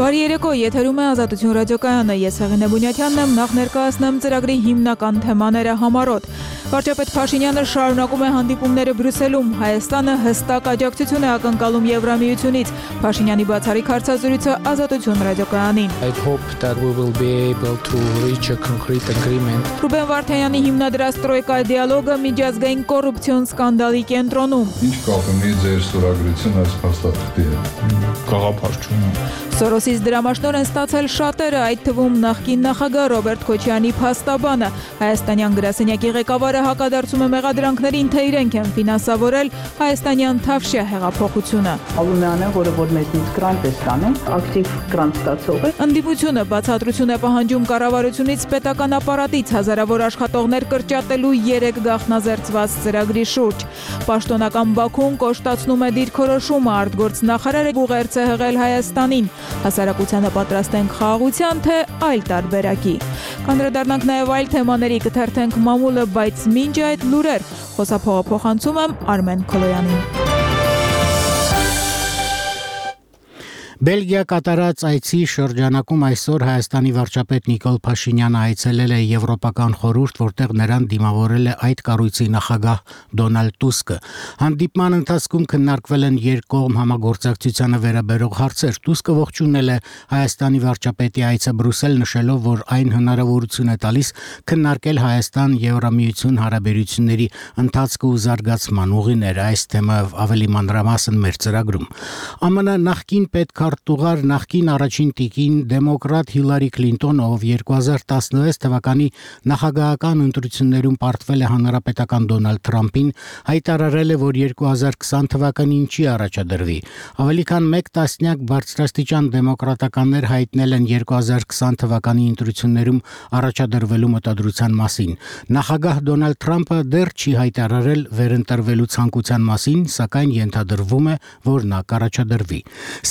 Բարի երեկո, եթերում է Ազատություն ռադիոկայանը, ես Հեղինե Բունյաթյանն եմ, նախ ներկայացնեմ ծրագրի հիմնական թեմաները համառոտ։ Վարչապետ Փաշինյանը շարունակում է հանդիպումները Բրյուսելում, Հայաստանը հստակ աջակցություն է ակնկալում Եվրամիությունից, Փաշինյանի բացառիկ հարցազրույցը Ազատություն ռադիոկայանին։ I hope that we will be able to reach a concrete agreement. Ռուբեն Վարդանյանի հիմնադրած տրոյկա դիալոգը միջազգային կոռուպցիոն սկանդալի կենտրոնում։ Ինչ կապ ունի ձեր ստորագրությունը այս փաստաթղթի հետ։ Գաղափարչություն։ Սորոսից դրամաշնոր են ստացել շատերը, այդ թվում նախկին նախագահ Ռոբերտ Քոչյանի փաստաբանը։ Հայաստանյան գրասենյակի ղեկավարը հակադարձում է մեղադրանքներին, թե իրենք են ֆինանսավորել հայաստանյան Թավշյա հեղափոխությունը։ Ալումյանը, որ մեզնից գրանտ է ստանում, ակտիվ գրանտ ստացող է։ Ընդդիմությունը բացատրություն է պահանջում կառավարությունից պետական ապարատից հազարավոր աշխատողներ կրճատելու 3 գաղտնազերծված ծրագրի շուրջ։ Պաշտոնական Բաքուն կոշտացնում է դիրքորոշումը, արտգործնախարարը ուղերձ է հղել Հայաստանին։ Հասարակությանը պատրաստ ենք խաղաղության, թե այլ տարբերակի։ Կանդրադառնանք նաև այլ թեմաների, կթերթենք մամուլը, բայց մինչ այդ լուրեր, խոսափողը փոխանցում եմ Արմեն Քոլոյանին։ Բելգիա կատարած այցի շրջանակում այսօր Հայաստանի վարչապետ Նիկոլ Փաշինյանը այցելել է Եվրոպական խորհուրդ, որտեղ նրան դիմավորել է այդ կառույցի նախագահ Դոնալդ Տուսկը։ Հանդիպման ընթացքում քննարկվել են երկկողմ համագործակցությանը վերաբերող հարցեր։ Տուսկը ողջունել է Հայաստանի վարչապետի այցը Բրյուսել, նշելով, որ այն հնարավորություն է տալիս քննարկել Հայաստան-Եվրամիություն հարաբերությունների ընթացքը ու զարգացման ուղիները։ Այս թեմայով ավելի մանրամասն մեր ծրագրում։ ԱՄՆ նախկին պետքարտուղար նախկին առաջին տիկին դեմոկրատ Հիլարի Քլինտոնը, ով 2016 թվականի նախագահական ընտրություններում պարտվել է հանրապետական Դոնալդ Թրամփին, հայտարարել է, որ 2020 թվականին չի առաջադրվի։ Ավելի քան 1 տասնյակ բարձրաստիճան դեմոկրատականներ հայտնել են 2020 թվականի ընտրություններում առաջադրվելու մտադրության մասին։ Նախագահ Դոնալդ Թրամփը դեռ չի հայտարարել վերընտրվելու ցանկության մասին, սակայն ենթադրվում է, որ նա կառաջադրվի։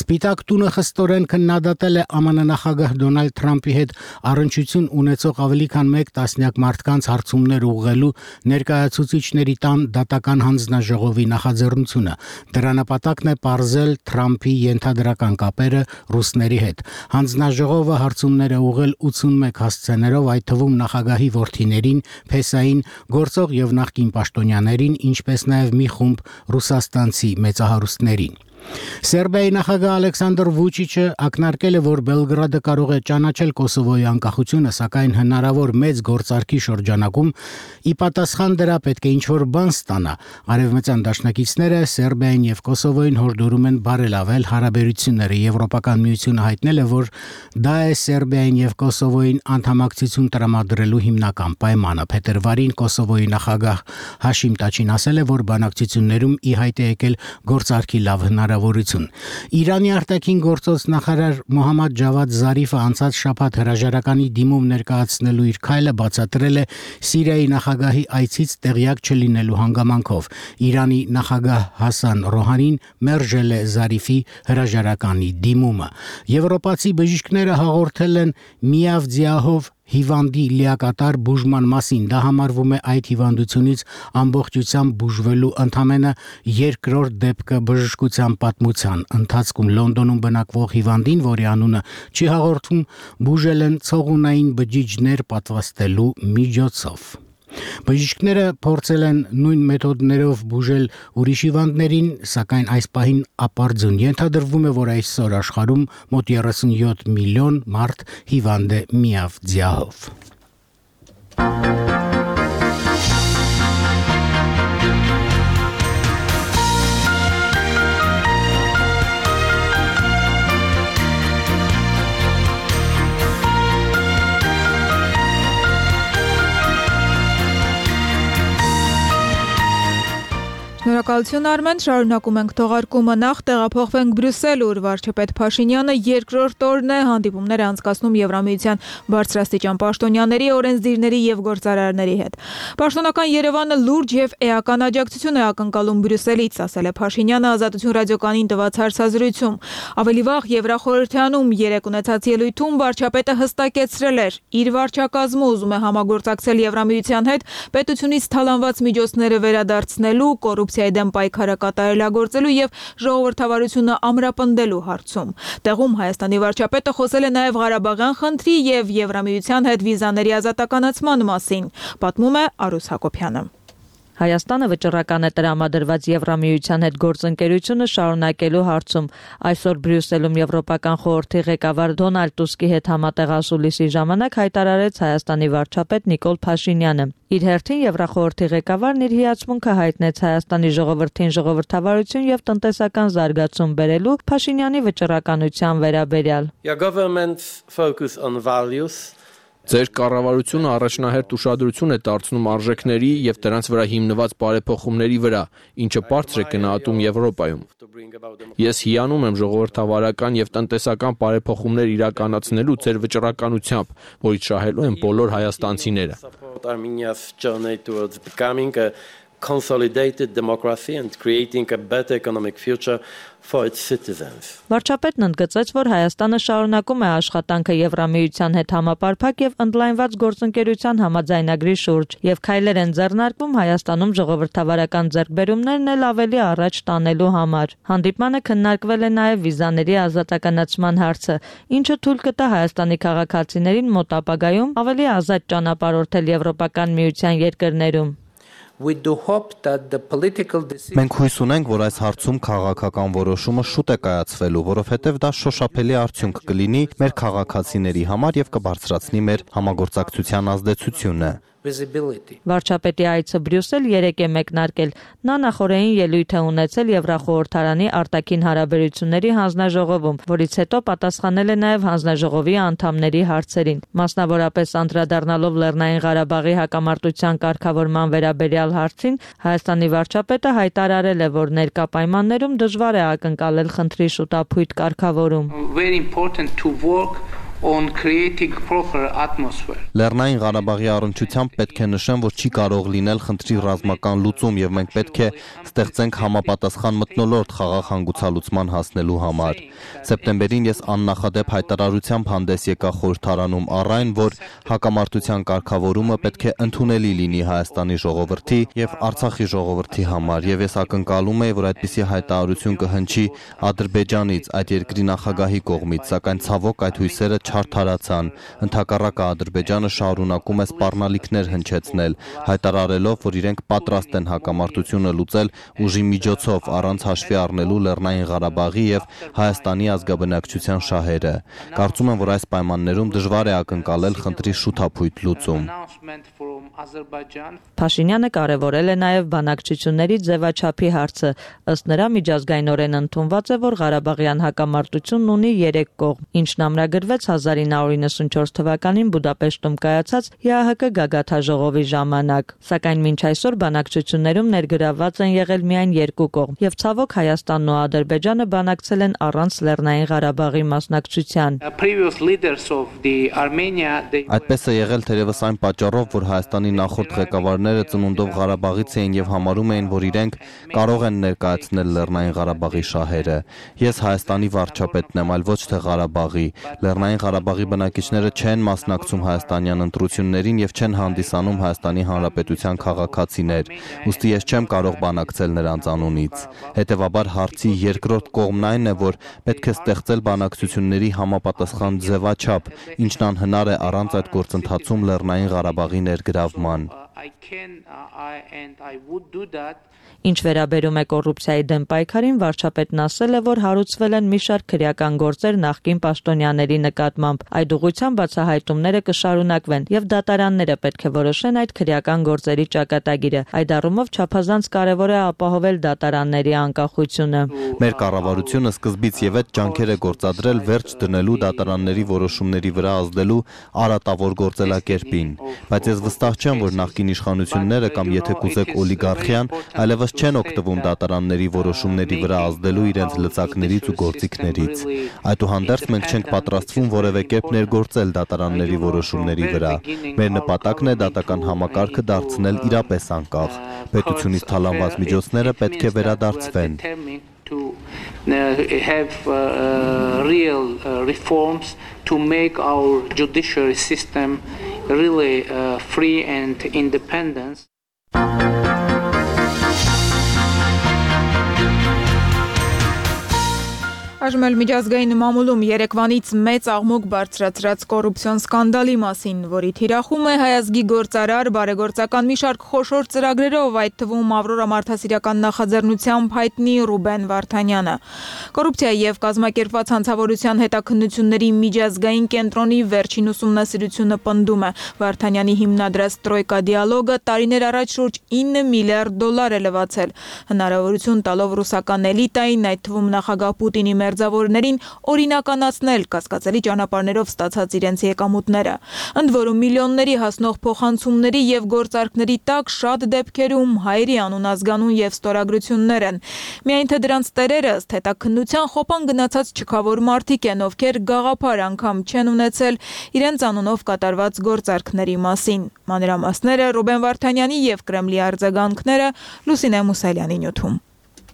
Սպիտակ տունը խստորեն քննադատել է ԱՄՆ նախագահ Դոնալդ Թրամփի հետ առնչություն ունեցող ավելի քան 1 տասնյակ մարդկանց հարցումներ ուղղելու ներկայացուցիչների տան դատական հանձնաժողովի նախաձեռնությունը։ Դրա նպատակն է պարզել Թրամփի ենթադրական կապերը ռուսների հետ։ Հանձնաժողովը հարցումներ է ուղղել 81 հասցեներով, այդ թվում նախագահի որդիներին, փեսային, գործող եւ նախկին պաշտոնյաներին, ինչպես նաեւ մի խումբ ռուսաստանցի մեծահարուստներին։ Սերբիայի նախագահ Ալեքսանդր Վուչիչը ակնարկել է, որ Բելգրադը կարող է ճանաչել Կոսովոյի անկախությունը, սակայն հնարավոր մեծ գործարքի շրջանակում ի պատասխան դրա պետք է ինչ-որ բան ստանա։ Արևմտյան դաշնակիցները Սերբիային եւ Կոսովոյին հորդորում են բարելավել հարաբերությունները։ Եվրոպական միությունը հայտնել է, որ դա է Սերբիային եւ Կոսովոյին անդամակցություն տրամադրելու հիմնական պայմանը։ Փետրվարին Կոսովոյի նախագահ Հաշիմ Տաչին ասել է, որ բանակցություններում ի հայտ է եկել գործարքի լավ հնարավորություն։ Իրանի արտաքին գործոց նախարար Մոհամմադ Ջավադ Զարիֆը անցած շաբաթ հրաժարականի դիմում ներկայացնելու իր քայլը բացատրել է Սիրիայի նախագահի այցից տեղյակ չլինելու հանգամանքով։ Իրանի նախագահ Հասան Ռոհանին մերժել է Զարիֆի հրաժարականի դիմումը։ Եվրոպացի բժիշկները հաղորդել են Միավձիահով հիվանդի լիակատար բուժման մասին։ Դա համարվում է այդ հիվանդությունից ամբողջությամբ բուժվելու ընդամենը երկրորդ դեպքը բժշկության պատմության ընթացքում։ Լոնդոնում բնակվող հիվանդին, որի անունը չի հաղորդվում, բուժել են ցողունային բջիջներ պատվաստելու միջոցով։ Բժիշկները փորձել են նույն մեթոդներով բուժել ուրիշ հիվանդներին, սակայն այս պահին ապարդյուն։ Ենթադրվում է, որ այսօր աշխարհում մոտ 37 միլիոն մարդ հիվանդ է միավձիահով։ Շնորհակալություն Արմեն, շարունակում ենք թողարկումը, նախ տեղափոխվենք Բրյուսել, ուր վարչապետ Փաշինյանը երկրորդ օրն է հանդիպումներ անցկացնում Եվրամիության բարձրաստիճան պաշտոնյաների, օրենսդիրների եւ գործարարների հետ։ Պաշտոնական Երևանը լուրջ եւ էական աջակցություն է ակնկալում Բրյուսելից, ասել է Փաշինյանը Ազատություն ռադիոկայանին տված հարցազրույցում։ Ավելի վաղ Եվրախորհրդանում երեկ ունեցած ելույթում վարչապետը հստակեցրել էր, իր վարչակազմը ուզում է համագործակցել Եվրամիության հետ պետությունից թալանված միջոցները վերադարձնելու, կոռուպցիայի դեմ պայքարը կատարելագործելու եւ ժողովրդավարությունը ամրապնդելու հարցում։ Տեղում Հայաստանի վարչապետը խոսել է նաեւ Ղարաբաղյան խնդրի եւ Եվրամիության հետ վիզաների ազատականացման մասին, պատմում է Արուս Հակոբյանը։ Հայաստանը վճռական է տրամադրված Եվրամիության հետ գործընկերությունը շարունակելու հարցում։ Այսօր Բրյուսելում Եվրոպական խորհրդի ղեկավար Դոնալդ Տուսկի հետ համատեղ ասուլիսի ժամանակ հայտարարեց Հայաստանի վարչապետ Նիկոլ Փաշինյանը։ Իր հերթին Եվրախորհրդի ղեկավարն իր հիացմունքը հայտնեց Հայաստանի ժողովրդին ժողովրդավարություն եւ տնտեսական զարգացում բերելու Փաշինյանի վճռականության վերաբերյալ։ Your government's focus on values. Ձեր կառավարությունը առաջնահերթ ուշադրություն է դարձնում արժեքների եւ դրանց վրա հիմնված բարեփոխումների վրա, ինչը բարձր է գնահատում Եվրոպայում։ Ես հիանում եմ ժողովրդավարական եւ տնտեսական բարեփոխումներ իրականացնելու ձեր վճռականությամբ, որից շահելու են բոլոր հայաստանցիները։ Armenia's journey towards becoming a consolidated democracy and creating a better economic future for its citizens. Վարչապետն ընդգծեց, որ Հայաստանը շարունակում է աշխատանքը Եվրամիության հետ համապարփակ եւ ընդլայնված գործընկերության համաձայնագրի շուրջ եւ քայլեր են ձեռնարկվում Հայաստանում ժողովրդավարական ձեռքբերումներն էլ ավելի առաջ տանելու համար։ Հանդիպմանը քննարկվել է նաեւ վիզաների ազատականացման հարցը, ինչը թույլ կտա Հայաստանի քաղաքացիներին մոտ ապագայում ավելի ազատ ճանապարհորդել Եվրոպական միության երկրներում։ Մենք հույս ունենք, որ այս հարցում քաղաքական որոշումը շուտ է կայացվելու, որովհետև դա շոշափելի արդյունք կլինի մեր քաղաքացիների համար եւ կբարձրացնի մեր համագործակցության ազդեցությունը։ Վարչապետի այցը Բրյուսել 3 է մեկնարկել։ Նա նախորդին ելույթ է ունեցել Եվրախորհրդարանի արտաքին հարաբերությունների հանձնաժողովում, որից հետո պատասխանել է նաև հանձնաժողովի անդամների հարցերին։ Մասնավորապես անդրադառնալով Լեռնային Ղարաբաղի հակամարտության կարգավորման վերաբերյալ հարցին, Հայաստանի վարչապետը հայտարարել է, որ ներկա պայմաններում դժվար է ակնկալել խնդրի շուտափույթ կարգավորում։ On creating proper atmosphere. Լեռնային Ղարաբաղի առնչությամբ պետք է նշեմ, որ չի կարող լինել խնդրի ռազմական լուծում եւ մենք պետք է ստեղծենք համապատասխան մթնոլորտ խաղաղ հանգուցալուծման հասնելու համար։ Սեպտեմբերին ես աննախադեպ հայտարարությամբ հանդես եկա խորհրդարանում առ այն, որ հակամարտության կարգավորումը պետք է ընդունելի լինի Հայաստանի ժողովրդի եւ Արցախի ժողովրդի համար եւ ես ակնկալում եի, որ այդպիսի հայտարարություն կհնչի Ադրբեջանից, այդ երկրի նախագահի կողմից, սակայն ցավոք այդ հույսերը չարդարացան։ Ընդհակառակը Ադրբեջանը շարունակում է սպառնալիքներ հնչեցնել, հայտարարելով, որ իրենք պատրաստ են հակամարտությունը լուծել ուժի միջոցով առանց հաշվի առնելու Լեռնային Ղարաբաղի եւ Հայաստանի ազգաբնակչության շահերը։ Կարծում եմ, որ այս պայմաններում դժվար է ակնկալել խնդրի շուտափույթ լուծում։ Փաշինյանը կարևորել է նաև բանակցությունների ձևաչափի հարցը։ Ըստ նրա միջազգայինորեն ընդունված է, որ Ղարաբաղյան հակամարտությունն ունի 3 կողմ, ինչն ամրագրվեց 1994 թվականին Բուդապեշտում կայացած ԵԱՀԿ գագաթաժողովի ժամանակ։ Սակայն մինչ այսօր բանակցություններում ներգրավված են եղել միայն 2 կողմ, եւ ցավոք Հայաստանն ու Ադրբեջանը բանակցել են առանց Լեռնային Ղարաբաղի մասնակցության։ Այդպես է եղել թերևս այն պատճառով, որ Հայաստանի նախորդ ղեկավարները ծնունդով Ղարաբաղից էին եւ համարում էին, որ իրենք կարող են ներկայացնել Լեռնային Ղարաբաղի շահերը։ Ես Հայաստանի վարչապետն եմ, այլ ոչ թե Ղարաբաղի։ Լեռնային Ղարաբաղի բնակիչները չեն մասնակցում հայաստանյան ընտրություններին եւ չեն հանդիսանում Հայաստանի Հանրապետության քաղաքացիներ։ Ուստի ես չեմ կարող բանակցել նրանց անունից։ Հետևաբար հարցի երկրորդ կողմն այն է, որ պետք է ստեղծել բանակցությունների համապատասխան ձևաչափ, ինչն անհնար է առանց այդ գործընթացում Լեռնային Ղարաբաղի ներգրավման։ Ինչ վերաբերում է կոռուպցիայի դեմ պայքարին, վարչապետն ասել է, որ հարուցվել են մի շարք քրեական գործեր նախկին պաշտոնյաների նկատմամբ։ Այդ ուղղությամբ բացահայտումները կշարունակվեն եւ դատարանները պետք է որոշեն այդ քրեական գործերի ճակատագիրը։ Այդ առումով չափազանց կարեւոր է ապահովել դատարանների անկախությունը։ Մեր կառավարությունը սկզբից եւ այդ ջանքեր է գործադրել վերջ դնելու դատարանների որոշումների վրա ազդելու արատավոր գործելակերպին։ Բայց ես վստահ չեմ, որ նախկին իշխանությունները կամ եթե կուզեք օլիգարխիան այլևս չեն օգտվում դատարանների որոշումների վրա ազդելու իրենց լծակներից ու գործիքներից։ Այդուհանդերձ մենք չենք պատրաստվում որևէ կերպ ներգործել դատարանների որոշումների վրա։ Մեր նպատակն է դատական համակարգը դարձնել իրապես անկախ։ Պետությունից թալանված միջոցները պետք է վերադարձվեն։ To have real reforms to make our judiciary system really free and independent. Այժմ էլ միջազգային մամուլում երեկվանից մեծ աղմուկ բարձրացրած կոռուպցիոն սկանդալի մասին, որի թիրախում է հայազգի գործարար բարեգործական մի շարք խոշոր ծրագրերով, այդ թվում Ավրորա մարդասիրական նախաձեռնությամբ հայտնի Ռուբեն Վարդանյանը։ Կոռուպցիայի եւ կազմակերպված հանցավորության հետաքննությունների միջազգային կենտրոնի վերջին ուսումնասիրությունը պնդում է, Վարդանյանի հիմնադրած Տրոյկա դիալոգը տարիներ առաջ շուրջ 9 միլիարդ դոլար է լվացել, հնարավորություն տալով ռուսական էլիտային, այդ թվում նախագահ Պուտինի մերձավորներին օրինականացնել կասկածելի ճանապարհներով ստացած իրենց եկամուտները։ Ընդ որում միլիոնների հասնող փոխանցումների եւ գործարքների տակ շատ դեպքերում հայերի անուն, ազգանուն եւ ստորագրություններ են։ Միայն թե դրանց տերերը ըստ հետաքննության խոպան գնացած չքավոր մարդիկ են, ովքեր գաղափար անգամ չեն ունեցել իրենց անունով կատարված գործարքների մասին։ Մանրամասները Ռուբեն Վարդանյանի եւ Կրեմլի արձագանքները Լուսինե Մուսալյանի նյութում։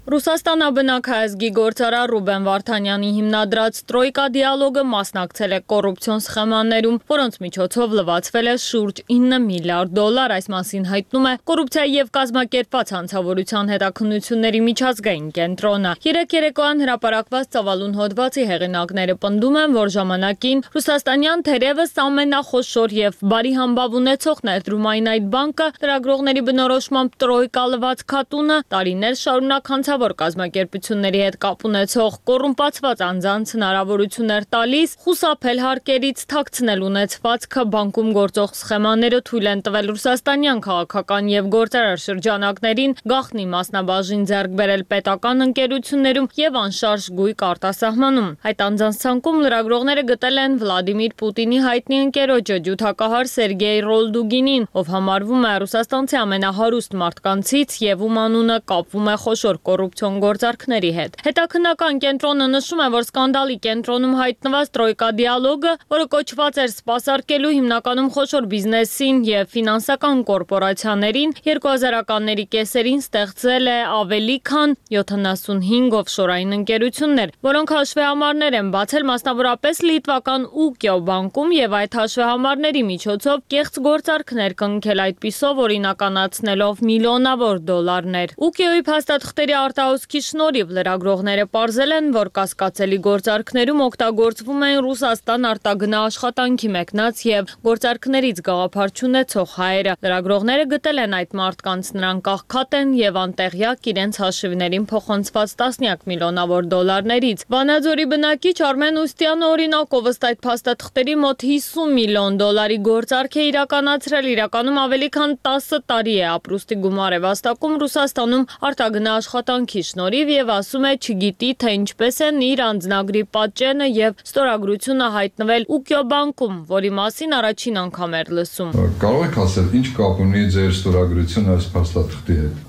Ռուսաստանաբնակ հայազգի գործարար Ռուբեն Վարդանյանի հիմնադրած Տրոյկա դիալոգը մասնակցել է կոռուպցիոն սխեմաներում, որոնց միջոցով լվացվել է շուրջ 9 միլիարդ դոլար, այս մասին հայտնում է կոռուպցիայի եւ կազմակերպված հանցավորության հետաքննությունների միջազգային կենտրոնը։ Երեկ երեկոյան հրապարակված ծավալուն հոդվածի հեղինակները պնդում են, որ ժամանակին ռուսաստանյան թերևս ամենախոշոր եւ բարի համբավ ունեցող ներդրումային այդ բանկը լրագրողների բնորոշմամբ Տրոյկա լված քատունը տարիներ շարունակ որ կազմակերպությունների հետ կապ ունեցող կոռումպացված անձանց հնարավորություններ տալիս խուսափել հարկերից, թաքցնել ունեցվածքը, բանկում գործող սխեմաները թույլ են տվել ռուսաստանյան քաղաքական եւ գործարար շրջանակներին գաղտնի մասնաբաժին ձեռք բերել պետական ընկերություններում եւ անշարժ գույք արտասահմանում։ Այդ անձանց ցանկում լրագրողները գտել են Վլադիմիր Պուտինի հայտնի ընկերոջը ջութակահար Սերգեյ Ռոլդուգինին, ով համարվում է ռուսաստանցի ամենահարուստ մարդկանցից եւ ում անունը կապվում է խոշոր կոռուպցիոն գործարքների հետ։ Հետաքննական կենտրոնը նշում է, որ սկանդալի կենտրոնում հայտնված Տրոյկա դիալոգը, որը կոչված էր սպասարկելու հիմնականում խոշոր բիզնեսին եւ ֆինանսական կորպորացիաներին, 2000-ականների կեսերին ստեղծել է ավելի քան 75 օֆշորային ընկերություններ, որոնք հաշվեհամարներ են բացել մասնավորապես լիտվական Ուկիո բանկում եւ այդ հաշվեհամարների միջոցով կեղծ գործարքներ կնքել, այդպիսով օրինականացնելով միլիոնավոր դոլարներ։ Ուկիոյի փաստաթղթերի արտահոսքի շնորհիվ լրագրողները պարզել են, որ կասկածելի գործարքներում օգտագործվում են Ռուսաստան արտագնա աշխատանքի մեկնած եւ գործարքներից գաղափար չունեցող հայերը։ Լրագրողները գտել են այդ մարդկանց, նրանք աղքատ են եւ անտեղյակ իրենց հաշիվներին փոխանցված տասնյակ միլիոնավոր դոլարներից։ Վանաձորի բնակիչ Արմեն Ուստյանը օրինակով ըստ այդ փաստաթղթերի մոտ 50 միլիոն դոլարի գործարք է իրականացրել, իրականում ավելի քան 10 տարի է ապրուստի գումար է վաստակում Ռուսաստանում արտագնա աշխատանքի շնորհիվ եւ ասում է չգիտի թե ինչպես են իր անձնագրի պատճենը եւ ստորագրությունը հայտնվել Ուկիո բանկում, որի մասին առաջին անգամ էր լսում։ Կարող եք ասել ինչ կապ ունի ձեր ստորագրությունը այս փաստաթղթի հետ։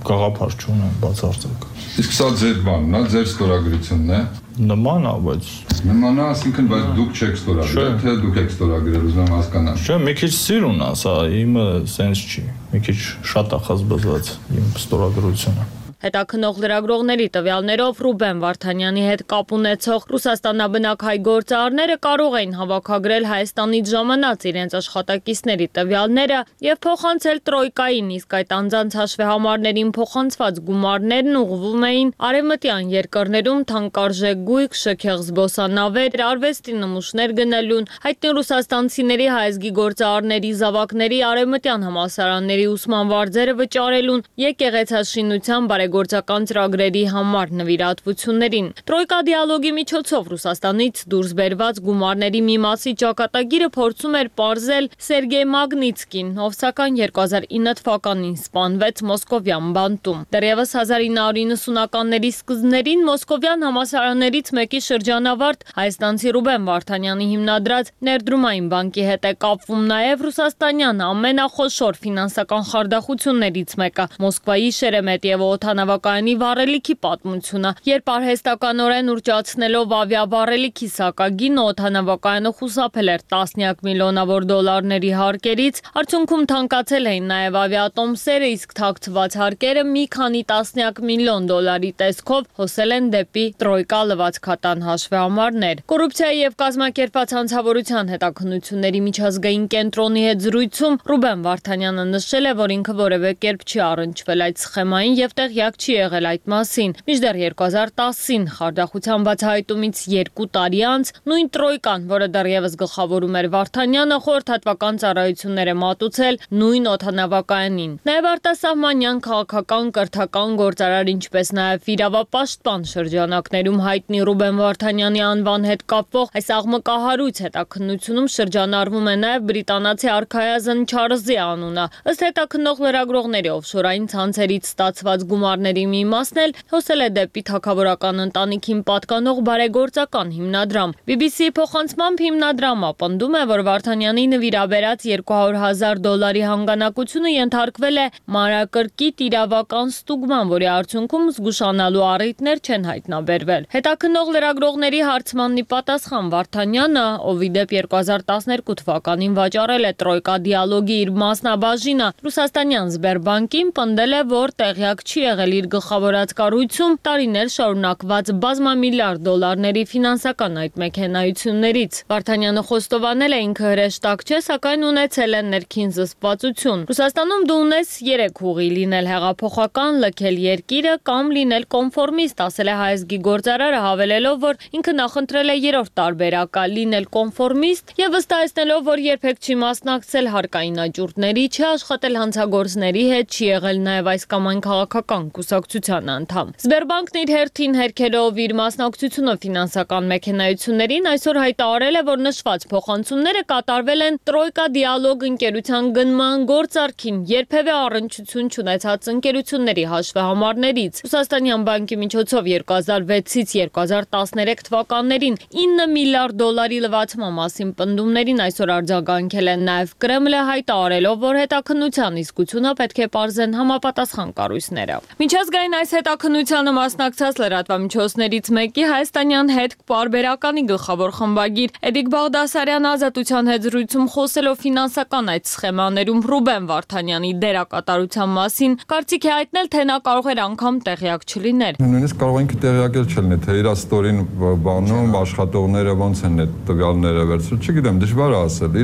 Գաղափար չունեմ բացարձակ։ Իսկ սա ձեր բանն է, ձեր ստորագրությունն է։ Նման է, բայց նման է, ասինքն բայց դուք չեք ստորագրել, թե դուք եք ստորագրել, ուզում եմ հասկանալ։ Չէ, մի քիչ սիրուն է, սա իմը սենս չի։ Մի քիչ շատ է խզբզված իմ ստորագրությունը։ Հետաքնող լրագրողների տվյալներով Ռուբեն Վարդանյանի հետ կապ ունեցող ռուսաստանաբնակ հայ գործարարները կարող էին հավաքագրել Հայաստանից ժամանած իրենց աշխատակիցների տվյալները եւ փոխանցել Տրոյկային, իսկ այդ անձանց հաշվեհամարներին փոխանցված գումարներն ուղղվում էին արևմտյան երկրներում թանկարժեք գույք, շքեղ զբոսանավեր, արվեստի նմուշներ գնելուն, հայտնի ռուսաստանցիների հայազգի գործարարների զավակների արևմտյան համալսարանների ուսման վարձերը վճարելուն, եկեղեցաշինության գործական ծրագրերի համար նվիրատվություններին։ Տրոյկա դիալոգի միջոցով Ռուսաստանից դուրս բերված գումարների մի մասի ճակատագիրը փորձում էր պարզել Սերգեյ Մագնիցկին, ով սակայն 2009 թվականին սպանվեց Մոսկովյան բանտում։ Դեռևս 1990-ականների սկզբներին Մոսկովյան համալսարաններից մեկի շրջանավարտ հայաստանցի Ռուբեն Վարդանյանի հիմնադրած Ներդրումային բանկի հետ է կապվում նաև ռուսաստանյան ամենախոշոր ֆինանսական խարդախություններից մեկը՝ Մոսկվայի Շերեմետիևո օդանավակայանի վառելիքի պատմությունը, երբ արհեստականորեն ուրճացնելով ավիավառելիքի սակագինը օդանավակայանը խուսափել էր տասնյակ միլիոնավոր դոլարների հարկերից, արդյունքում թանկացել էին նաև ավիատոմսերը, իսկ թաքցված հարկերը մի քանի տասնյակ միլիոն դոլարի տեսքով հոսել են դեպի Տրոյկա լվացքատան հաշվեհամարներ։ Կոռուպցիայի եւ կազմակերպված հանցավորության հետաքննությունների միջազգային կենտրոնի հետ զրույցում Ռուբեն Վարդանյանը նշել է, որ ինքը որևէ կերպ չի առնչվել այդ սխեմային եւ տեղյակ տեղյակ չի եղել այդ մասին։ Մինչդեռ 2010-ին խարդախության բացահայտումից 2 տարի անց նույն տրոյկան, որը դեռևս գլխավորում էր Վարդանյանը, խորհրդատվական ծառայություններ է մատուցել նույն օդանավակայանին։ Նաև արտասահմանյան քաղաքական կրթական գործարար, ինչպես նաև իրավապաշտպան շրջանակներում հայտնի Ռուբեն Վարդանյանի անվան հետ կապվող այս աղմկահարույց հետաքննությունում շրջանառվում է նաև բրիտանացի արքայազն Չարլզի անունը։ Ըստ հետաքննող լրագրողների օֆշորային ցանցերից ստացված գումարների մի մասն էլ հոսել է դեպի թագավորական ընտանիքին պատկանող բարեգործական հիմնադրամ։ BBC-ի փոխանցմամբ հիմնադրամը պնդում է, որ Վարդանյանի նվիրաբերած $200,000 հանգանակությունը ենթարկվել է մանրակրկիտ իրավական ստուգման, որի արդյունքում զգուշանալու առիթներ չեն հայտնաբերվել։ Հետաքննող լրագրողների հարցմանն ի պատասխան Վարդանյանը, ով ի դեպ 2012 թվականին վաճառել է Տրոյկա դիալոգի իր մասնաբաժինը Ռուսաստանյան Սբերբանկին, պնդել է, որ տեղյակ չի եղել իր գլխավորած կառույցում տարիներ շարունակված բազմամիլիարդ դոլարների ֆինանսական այդ մեքենայություններից։ Վարդանյանը խոստովանել է ինքը հրեշտակ չէ, սակայն ունեցել է ներքին զսպվածություն։ Ռուսաստանում դու ունես 3 ուղի՝ լինել հեղափոխական, լքել երկիրը կամ լինել կոնֆորմիստ, ասել է հայազգի գործարարը, հավելելով, որ ինքը նախընտրել է 3-րդ տարբերակը՝ լինել կոնֆորմիստ եւ վստահեցնելով, որ երբեք չի մասնակցել հարկային աճուրդների, չի աշխատել հանցագործների հետ, չի եղել նաեւ այս կամ այն քաղաքական կուսակցության անդամ։ Սբերբանկն իր հերթին հերքելով իր մասնակցությունը ֆինանսական մեքենայություններին այսօր հայտարարել է, որ նշված փոխանցումները կատարվել են Տրոյկա դիալոգ ընկերության գնման գործարքին երբևէ առնչություն չունեցած ընկերությունների հաշվեհամարներից։ Ռուսաստանյան բանկի միջոցով 2006-ից 2013 թվականներին $9 միլիարդ լվացման մասին պնդումներին այսօր արձագանքել են նաև Կրեմլը, հայտարարելով, որ հետաքննության իսկությունը պետք է պարզեն համապատասխան կառույցները։ Միջազգային այս հետաքննությանը մասնակցած լրատվամիջոցներից մեկի հայաստանյան հետք պարբերականի գլխավոր խմբագիր Էդիկ Բաղդասարյանը ազատության հետ զրույցում խոսելով ֆինանսական այդ սխեմաներում Ռուբեն Վարդանյանի դերակատարության մասին կարծիք է հայտնել, թե նա կարող էր անգամ տեղյակ չլիներ։ Նույնիսկ կարող ենք տեղյակ չլինել, թե իր ստորին բանում աշխատողները ոնց են այդ տվյալները վերցրել, չգիտեմ, դժվար է ասել։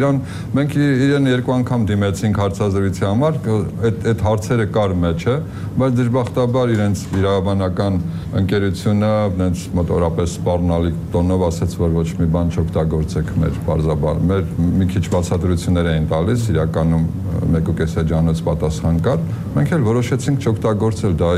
Մենք իրեն 2 անգամ դիմեցինք հարցազրույցի համար, այդ հարցերը կար մեջը, բայց դժբախտաբար իրենց իրավաբանական ընկերությունը այնց մոտորապես սպառնալիք տոնով ասաց, որ ոչ մի բան չօգտագործեք մեր բարձաբար։ Մեր մի քիչ բացատրություններ էին տալիս, իրականում 1.5 էջանոց պատասխան կար։ Մենք էլ որոշեցինք չօգտագործել, դա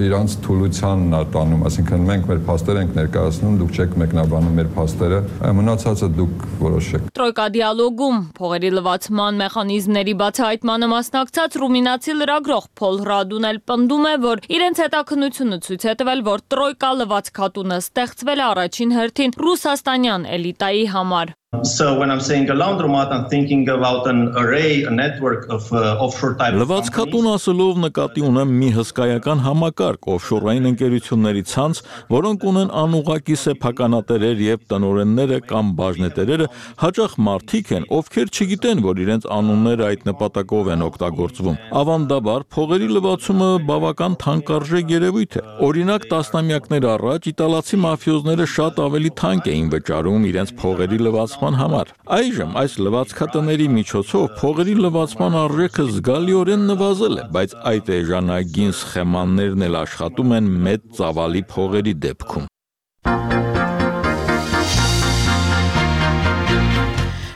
իրանց թուլությանն է տանում, այսինքն մենք մեր փաստեր ենք ներկայացնում, դուք չեք մեկնաբանում մեր փաստերը, մնացածը դուք որոշեք։ Տրոյկա դիալոգում փողերի լվացման մեխանիզմների բացահայտմանը մասնակցած ռումինացի լրագրող Փոլ Ռադուն էլ պնդում է, որ իրենց հետաքննությունը ցույց է տվել, որ Տրոյկա լվացքատունը ստեղծվել է առաջին հերթին ռուսաստանյան էլիտայի համար։ So when I'm saying a laundromat, I'm thinking about an array, a network of offshore type. Լվացքատուն ասելով նկատի ունեմ մի հսկայական համակարգ օֆշորային ընկերությունների ցանց, որոնք ունեն անուղղակի սեփականատերեր եւ տնօրենները կամ բաժնետերերը հաճախ մարդիկ են, ովքեր չգիտեն, որ իրենց անունները այդ նպատակով են օգտագործվում։ Ավանդաբար փողերի լվացումը բավական թանկարժեք երևույթ է։ Օրինակ, տասնամյակներ առաջ իտալացի մաֆիոզները շատ ավելի թանկ էին վճարում իրենց փողերի լվացման համար։ Այժմ այս լվացքատների միջոցով փողերի լվացման արժեքը զգալիորեն նվազել է, բայց այդ էժանագին սխեմաններն էլ աշխատում են մեծ ծավալի փողերի դեպքում։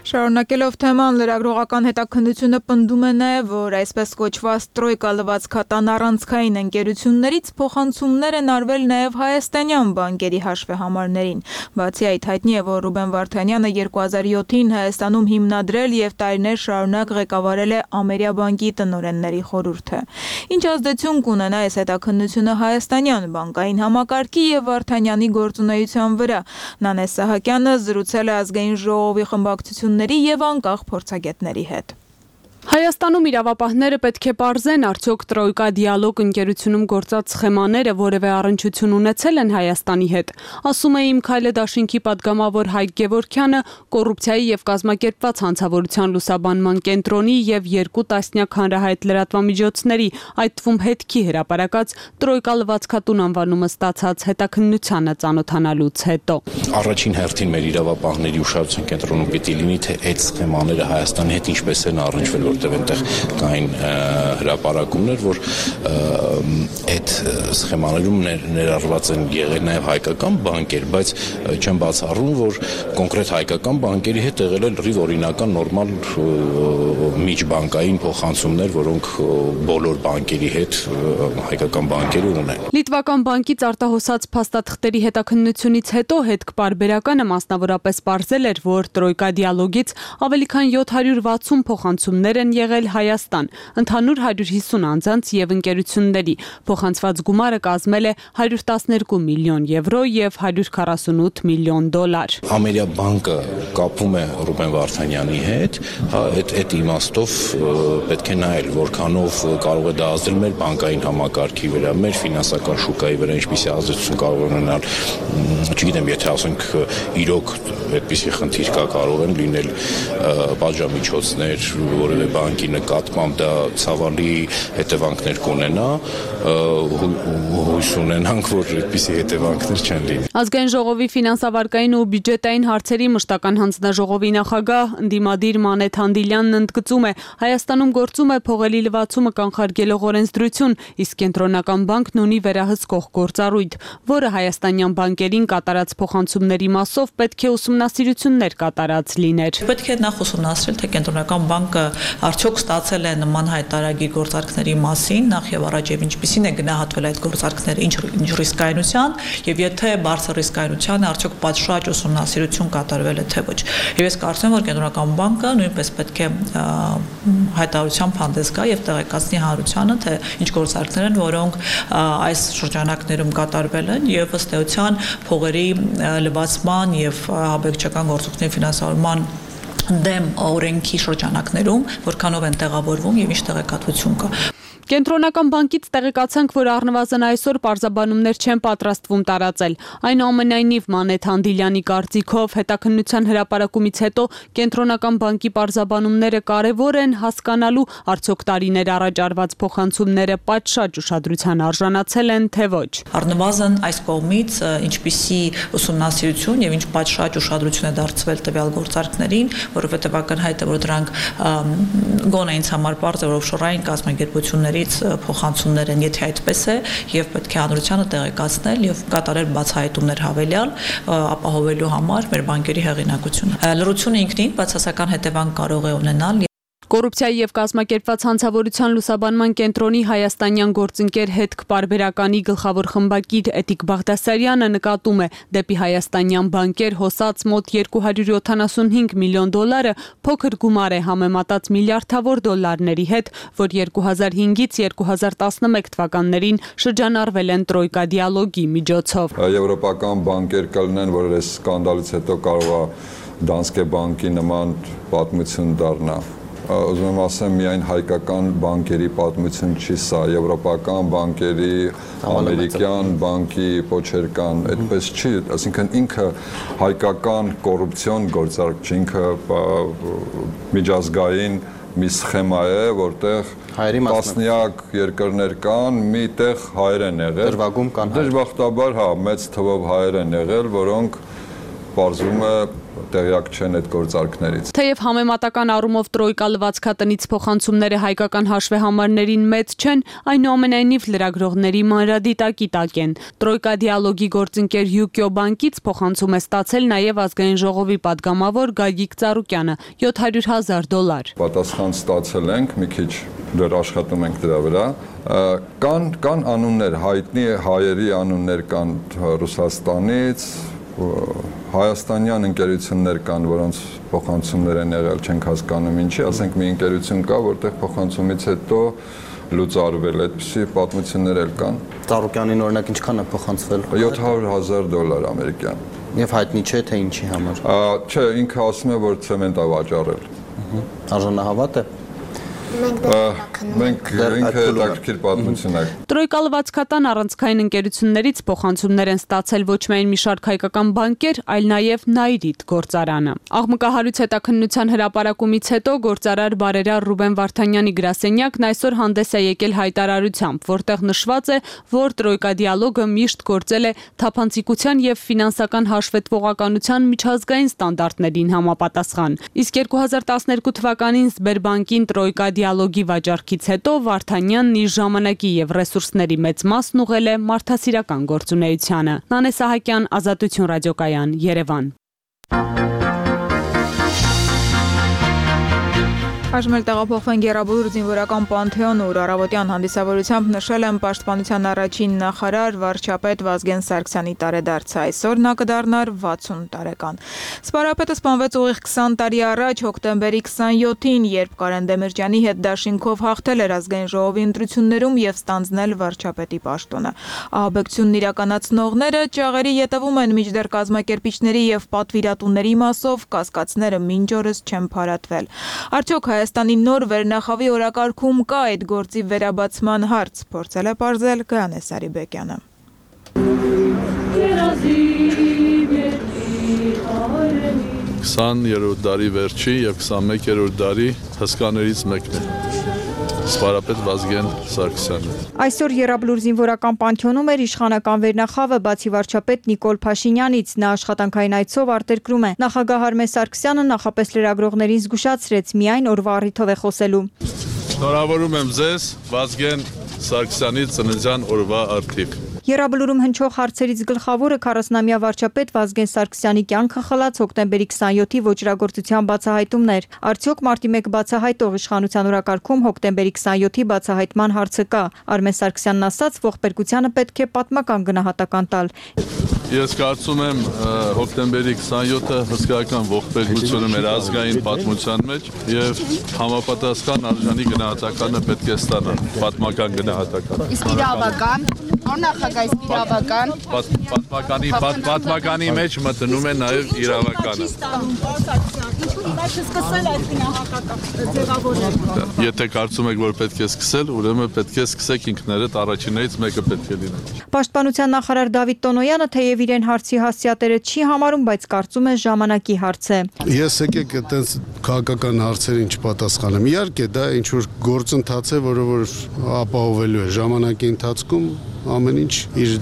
Շարունակելով թեման, լրագրողական հետաքննությունը պնդում է նաև, որ այսպես կոչված տրոյկա լվացքատան առանցքային ընկերություններից փոխանցումներ են արվել նաև հայաստանյան բանկերի հաշվեհամարներին։ Բացի այդ, հայտնի է, որ Ռուբեն Վարդանյանը 2007-ին Հայաստանում հիմնադրել եւ տարիներ շարունակ ղեկավարել է Ամերիաբանկի տնօրենների խորհուրդը։ Ինչ ազդեցություն կունենա այս հետաքննությունը հայաստանյան բանկային համակարգի եւ Վարդանյանի գործունեության վրա։ Նանես Սահակյանը զրուցել է ազգային ժողովի խմբակցությունների եւ անկախ փորձագետների հետ։ Հայաստանում իրավապահները պետք է պարզեն, արդյոք տրոյկա դիալոգ ընկերությունում գործած սխեմաները որևէ առնչություն ունեցել են Հայաստանի հետ, ասում է Իմ քայլը դաշինքի պատգամավոր Հայկ Գևորգյանը, կոռուպցիայի եւ կազմակերպված հանցավորության լուսաբանման կենտրոնի եւ 2 տասնյակ հանրահայտ լրատվամիջոցների, այդ թվում հետքի հրապարակած տրոյկա լվացքատուն անվանումը ստացած հետաքննությանը ծանոթանալուց հետո։ Առաջին հերթին մեր իրավապահների ուշադրության կենտրոնում պիտի լինի, թե այդ սխեմաները Հայաստանի հետ ինչպես են առնչվել, որտեղ այնտեղ կային հրապարակումներ, որ այդ սխեմաներում ներառված են եղել նաև հայկական բանկեր, բայց չեմ բացառում, որ կոնկրետ հայկական բանկերի հետ եղել է լրիվ օրինական նորմալ միջբանկային փոխանցումներ, որոնք բոլոր բանկերի հետ հայկական բանկերը ունեն։ Լիտվական բանկից արտահոսած փաստաթղթերի հետաքննությունից հետո հետքպարբերականը մասնավորապես պարզել էր, որ տրոյկա դիալոգից ավելի քան 760 փոխանցումներ են եղել Հայաստան, ընդհանուր 150 անձանց եւ ընկերությունների։ Փոխանցված գումարը կազմել է 112 միլիոն եվրո եւ 148 միլիոն դոլար։ Ամերիաբանկը կապվում է Ռուբեն Վարդանյանի հետ, այդ իմաստով պետք է նայել, որքանով կարող է դա ազդել մեր բանկային համակարգի վրա, մեր ֆինանսական շուկայի վրա, ինչպիսի ազդեցություն կարող է ունենալ, չգիտեմ, եթե ասենք իրոք այդպիսի խնդիր կա, կարող են լինել պատժամիջոցներ որևէ բանկի նկատմամբ, դա ցավալի հետևանքներ կունենա, հույս ունենանք, որ այդպիսի հետևանքներ չեն լինի։ Ազգային ժողովի ֆինանսավարկային ու բյուջետային հարցերի մշտական հանձնաժողովի նախագահ ընդդիմադիր Մանեթ Հանդիլյանն ընդգծում է, Հայաստանում գործում է փողերի լվացումը կանխարգելող օրենսդրություն, իսկ կենտրոնական բանկն ունի վերահսկող գործառույթ, որը հայաստանյան բանկերին կատարած փոխանցումների մասով պետք է ուսումնասիրություններ կատարած լիներ։ Պետք է նախ ուսումնասիրել, թե կենտրոնական բանկը արդյոք ստացել է նման հայտարարի գործարքների մասին, նախ եւ առաջ եւ ինչպիսին է գնահատվել այդ գործարքները, ինչ ռիսկայնության, եւ եթե բարձր ռիսկայնության արդյոք պատշաճ ուսումնասիրություն կատարվել է թե ոչ։ Եվ ես կարծում եմ, որ կենտրոնական բանկը նույնպես պետք է հայտարարությամբ հանդես գա եւ տեղեկացնի հանրությանը, թե ինչ գործարքներ են, որոնք այս շրջանակներում կատարվել են եւ ըստ էության փողերի լվացման եւ աբեկչական գործողությունների ֆինանսավորման դեմ օրենքի շրջանակներում որքանով են տեղավորվում եւ ինչ տեղեկատվություն կա։ Կենտրոնական բանկից տեղեկացանք, որ առնվազն այսօր պարզաբանումներ չեն պատրաստվում տարածել։ Այնուամենայնիվ Մանեթ Հանդիլյանի կարծիքով հետաքննության հրապարակումից հետո կենտրոնական բանկի պարզաբանումները կարևոր են հասկանալու արդյոք տարիներ առաջ արված փոխանցումները պատշաճ ուշադրության արժանացել են, թե ոչ։ Առնվազն այս կողմից ինչպիսի ուսումնասիրություն եւ ինչ պատշաճ ուշադրություն է դարձվել տվյալ գործարքներին, որովհետեւ ակնհայտ է, որ դրանք գոնե ինձ համար պարզ է, որ օֆշորային կազմակերպությունների փոխանցումներ են, եթե այդպես է, եւ պետք է հանրությանը տեղեկացնել եւ կատարել բացահայտումներ հավելյալ, ապահովելու համար մեր բանկերի հեղինակությունը։ Լրությունը ինքնին բացասական հետևանք կարող է ունենալ։ Կոռուպցիայի եւ կազմակերպված հանցավորության լուսաբանման կենտրոնի հայաստանյան գործընկեր հետքպարբերականի գլխավոր խմբագիր Էտիկ Բաղդասարյանը նկատում է, դեպի հայաստանյան բանկեր հոսած մոտ 275 միլիոն դոլարը փոքր գումար է համեմատած միլիարդավոր դոլարների հետ, որ 2005-ից 2011 թվականներին շրջանառվել են տրոյկա դիալոգի միջոցով։ Եվրոպական բանկեր կլինեն, որ այս սկանդալից հետո կարող է Դանսկե բանկի նման պատմություն դառնա։ Ուզում եմ ասեմ, միայն հայկական բանկերի պատմություն չի սա, եվրոպական բանկերի, ամերիկյան բանկի փոչեր կան, այդպես չի, այսինքն ինքը հայկական կոռուպցիոն գործարք չի, ինքը միջազգային մի սխեմա է, որտեղ տասնյակ երկրներ կան, մի տեղ հայեր են եղել, դրվագում կան հայեր, դժբախտաբար հա, մեծ թվով հայեր են եղել, որոնք պարզվում է տեղյակ չեն այդ գործարքներից։ Թեև համեմատական առումով տրոյկա լվացքատնից փոխանցումները հայկական հաշվեհամարներին մեծ չեն, այնուամենայնիվ լրագրողների մանրադիտակի տակ են։ Տրոյկա դիալոգի գործընկեր Յուկիո բանկից փոխանցում է ստացել նաև ազգային ժողովի падգամավոր Գագիկ Ծառուկյանը $700,000։ Պատասխան ստացել ենք, մի քիչ դեռ աշխատում ենք դրա վրա։ Կան անուններ, հայտնի հայերի անուններ կան Ռուսաստանից, հայաստանյան ընկերություններ կան, որոնց փոխանցումներ են եղել, չենք հասկանում ինչի, ասենք մի ընկերություն կա, որտեղ փոխանցումից հետո լուծարվել, այդպիսի պատմություններ էլ կան։ Ծառուկյանին օրինակ ինչքան է փոխանցվել։ $700,000 ամերիկյան։ Եվ հայտնի չէ թե ինչի համար։ Չէ, ինքը ասում է, որ ցեմենտ է վաճառել։ Արժանահավատ է։ Մենք ինքը հետաքրքիր պատմություն է։ Տրոյկա լվացքատան առանցքային ընկերություններից փոխանցումներ են ստացել ոչ միայն մի շարք հայկական բանկեր, այլ նաև Նայրիտ գործարանը։ Աղմկահարույց հետաքննության հրապարակումից հետո գործարար բարերար Ռուբեն Վարդանյանի գրասենյակն այսօր հանդես է եկել հայտարարությամբ, որտեղ նշված է, որ Տրոյկա դիալոգը միշտ գործել է թափանցիկության եւ ֆինանսական հաշվետվողականության միջազգային ստանդարտներին համապատասխան։ Իսկ 2012 թվականին Սբերբանկին Տրոյկա դիալոգի վաճառքից հետո Վարդանյանն իր ժամանակի եւ ռեսուրսների մեծ մասն ուղղել է մարդասիրական գործունեությանը։ Նանե Սահակյան, Ազատություն ռադիոկայան, Երևան։ Այժմ էլ տեղափոխվենք Եռաբլուր զինվորական պանթեոնը, ուր առավոտյան հանդիսավորությամբ նշել են Պաշտպանության առաջին նախարար վարչապետ Վազգեն Սարգսյանի տարեդարձը։ Այսօր նա կդառնար 60 տարեկան։ Սպարապետը սպանվեց ուղիղ 20 տարի առաջ, հոկտեմբերի 27-ին, երբ Կարեն Դեմիրճյանի հետ դաշինքով հաղթել էր ազգային ժողովի ընտրություններում եւ ստանձնել վարչապետի պաշտոնը։ Ահաբեկությունն իրականացնողները ճաղերի ետևում են, մինչդեռ կազմակերպիչների եւ պատվիրատուների մասով կասկածները մինչ օրս չեն փարատվել։ Արդյոք Հայաստանի նոր վերնախավի օրակարգում կա այդ գործի վերաբացման հարց, փորձել է պարզել Գայանե Սարիբեկյանը։ 20-րդ դարի վերջի եւ 21-րդ դարի հսկաներից մեկն է։ Սպարապետ Վազգեն Սարգսյանը։ Այսօր Եռաբլուր զինվորական պանթեոնում էր իշխանական վերնախավը, բացի վարչապետ Նիկոլ Փաշինյանից, նա աշխատանքային այցով արտերկրում է։ Նախագահ Արմեն Սարգսյանը նախապես լրագրողներին զգուշացրեց, միայն օրվա առիթով է խոսելու։ Շնորհավորում եմ ձեզ Վազգեն Սարգսյանի ծննդյան օրվա առթիվ։ Եռաբլուրում հնչող հարցերից գլխավորը 40-ամյա վարչապետ Վազգեն Սարգսյանի կյանքը խլած հոկտեմբերի 27-ի ոճրագործության բացահայտումն էր։ Արդյոք մարտի 1 բացահայտող իշխանության օրակարգում հոկտեմբերի 27-ի բացահայտման հարցը կա։ Արմեն Սարգսյանն ասաց, ողբերգությանը պետք է պատմական գնահատական տալ։ Ես կարծում եմ հոկտեմբերի 27-ը հսկայական ողբերգություն էր ազգային պատմության մեջ եւ համապատասխան արժանի գնահատականը պետք է ստանա, պատմական գնահատական։ Իսկ իրավական, նախագահ իսկ իրավական պատմականի մեջ մտնում է նաեւ իրավականը։ Ինչու հիմա չսկսել այդ գնահատակը ձևավորել։ Եթե կարծում եք, որ պետք է սկսել, ուրեմն պետք է սկսեք ինքներդ առաջիններից մեկը պետք է լինի։ Պաշտպանության նախարար Դավիթ Տոնոյանը թեև իրեն հարցի հասցեատերը չի համարում, բայց կարծում է ժամանակի հարց է։ Ես եկեք այդպես քաղաքական հարցերին չպատասխանեմ։ Իհարկե դա ինչ որ գործընթաց է, որը որ ապահովելու է ժամանակի ընթացքում ամեն ինչ իր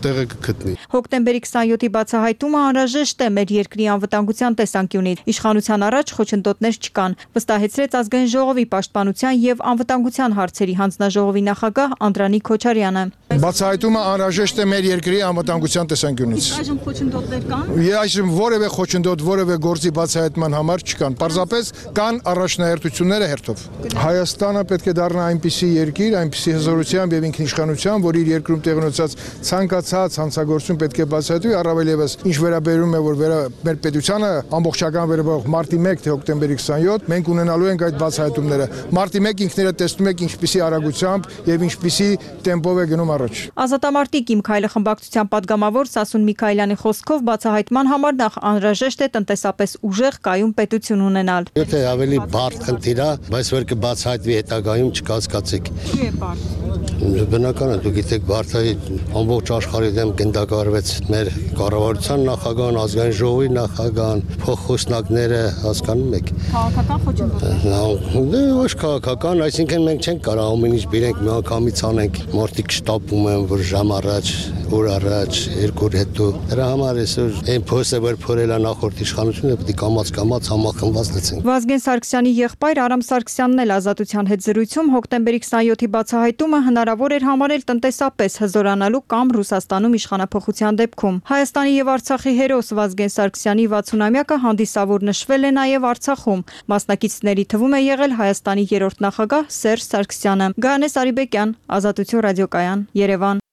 տեղը կգտնի։ Հոկտեմբերի 27-ի բացահայտումը անհրաժեշտ է մեր երկրի անվտանգության տեսանկյունից։ Իշխանության առաջ խոչընդոտներ չկան, վստահեցրեց ազգային ժողովի պաշտպանության եւ անվտանգության հարցերի հանձնաժողովի նախագահ Անդրանիկ Քոչարյանը։ Բացահայտումը անհրաժեշտ է մեր երկրի անվտանգության տեսանկյունից։ Այժմ խոչընդոտներ կան։ Այժմ որևէ խոչընդոտ, որևէ գործի բացահայտման համար չկան։ Պարզապես կան առաջնահերթությունները հերթով։ Հայաստանը պետք է դառնա այնպիսի երկիր, այնպիսի հզորությամբ եւ ինքնիշխանությամբ, որ իր երկրում տեղի ունեցած ցանկացած հանցագործություն պետք է բացահայտվի, առավել եւս ինչ վերաբերում է, որ մեր պետությանը ամբողջական վերաբերող մարտի 1 թե հոկտեմբերի 27, մենք ունենալու ենք այդ բացահայտումները։ Մարտի 1 ինքներդ տեսնում եք ինչպիսի արագությամբ եւ ինչպիսի տեմպով է գնում առաջ։ Ազատամարտիկ Իմ քայլը խմբակցության падգամավոր Սասուն Միքայելյանի խոսքով բացահայտման համար նախ անհրաժեշտ է տնտեսապես ուժեղ կայուն պետություն ունենալ։ Եթե ավելի բարդ խնդիր է, բայց որ կբացահայտվի հետագայում չկասկածեք։ Չի է բարդ։ Բնական է, դուք գիտեք, բարդայի ամբողջ աշխարհի դեմ գնդակարվեց մեր կառավարության նախագահան, ազգային ժողովի նախագահան, փոխխոսնակները, հասկանում եք։ Քաղաքական խոչընդոտ։ Դե ոչ քաղաքական, այսինքն մենք չենք կարող ամեն ինչ բերենք միանգամից անենք։ Մարդիկ շտապում են, որ ժամ առաջ, օր առաջ, 2 օր հետո։ Դրա համար այսօր այն փոստը, որ փորել է նախորդ իշխանությունը, պետք է կամաց համախմբված լցենք։ Վազգեն Սարգսյանի եղբայր Արամ Սարգսյանն էլ Ազատության հետ զրույցում հոկտեմբերի 27-ի բացահայտումը հնարավոր էր համարել տնտեսապես հզորանալու կամ Ռուսաստանում իշխանափոխության դեպքում։ Հայաստանի եւ Արցախի հերոս Վազգեն Սարգսյանի 60-ամյակը հանդիսավոր նշվել է նաեւ Արցախում։ Մասնակիցների թվում է եղել Հայաստանի 3-րդ նախագահ Սերժ Սարգսյանը։ Գայանե Սարիբեկյան, Ազատություն ռադիոկայան, Երևան։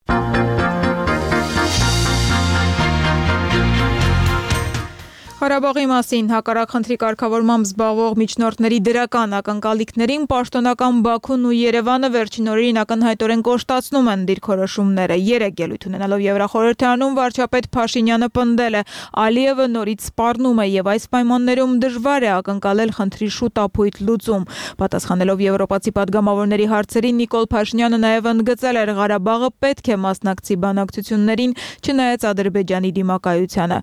Ղարաբաղի մասին հակառակ խնդրի կարգավորմամբ զբաղվող միջնորդների դրական ակնկալիքներին պաշտոնական Բաքուն ու Երևանը վերջին օրերին ակնհայտորեն կոշտացնում են դիրքորոշումները։ Երեք ելույթ ունենալով Եվրախորհրդարանում վարչապետ Փաշինյանը պնդել է, Ալիևը նորից սպառնում է եւ այս պայմաններում դժվար է ակնկալել խնդրի շուտ ապույտ լուծում։ Պատասխանելով եվրոպացի падգամավորների հարցերին Նիկոլ Փաշինյանը նաեւ ընդգծել էր, Ղարաբաղը պետք է մասնակցի բանակցություններին, չնայած Ադրբեջանի դիմակայությանը։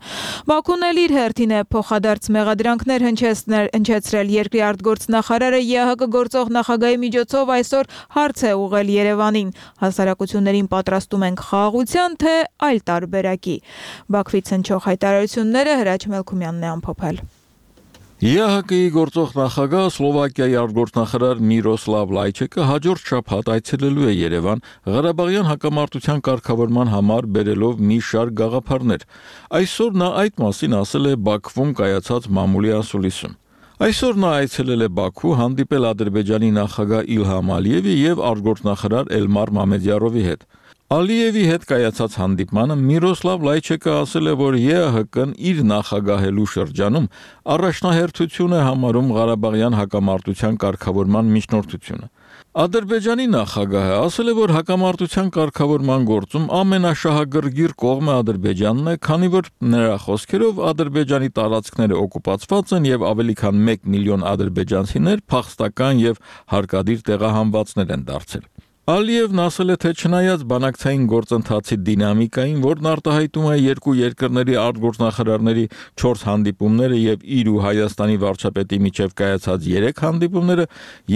Բաքուն էլ իր հերթին է փոխադարձ մեղադրանքներ հնչեցրել երկրի արտգործնախարարը ԵԱՀԿ գործող նախագահի միջոցով այսօր հարց է ուղղել Երևանին։ Հասարակություններին պատրաստում ենք խաղաղության, թե այլ տարբերակի։ Բաքվից հնչող հայտարարությունները Հրաչ Մելքումյանն է ամփոփել։ ԵԱՀԿ-ի գործող նախագահ Սլովակիայի արտգործնախարար Միրոսլավ Լայչեկը հաջորդ շաբաթ այցելելու է Երևան Ղարաբաղյան հակամարտության կարգավորման համար բերելով մի շարք գաղափարներ։ Այսօր նա այդ մասին ասել է Բաքվում կայացած մամուլի ասուլիսում։ Այսօր նա այցելել է Բաքու, հանդիպել Ադրբեջանի նախագահ Իլհամ Ալիևի եւ արտգործնախարար Էլմար Մամեդյարովի հետ։ Ալիևի հետ կայացած հանդիպմանը Միրոսլավ Լայչեկը ասել է, որ ԵԱՀԿ-ն իր նախագահելու շրջանում առաջնահերթություն է համարում Ղարաբաղյան հակամարտության կարգավորման միջնորդությունը։ Ադրբեջանի նախագահը ասել է, որ հակամարտության կարգավորման գործում ամենաշահագրգիռ կողմը Ադրբեջանն է, քանի որ նրա խոսքերով Ադրբեջանի տարածքները օկուպացված են եւ ավելի քան 1 միլիոն ադրբեջանցիներ փախստական եւ հարկադիր տեղահանվածներ են դարձել։ Ալիևն ասել է, թե չնայած բանակցային գործընթացի դինամիկային, որն արտահայտում է երկու երկրների արտգործնախարարների 4 հանդիպումները եւ իր ու Հայաստանի վարչապետի միջև կայացած 3 հանդիպումները,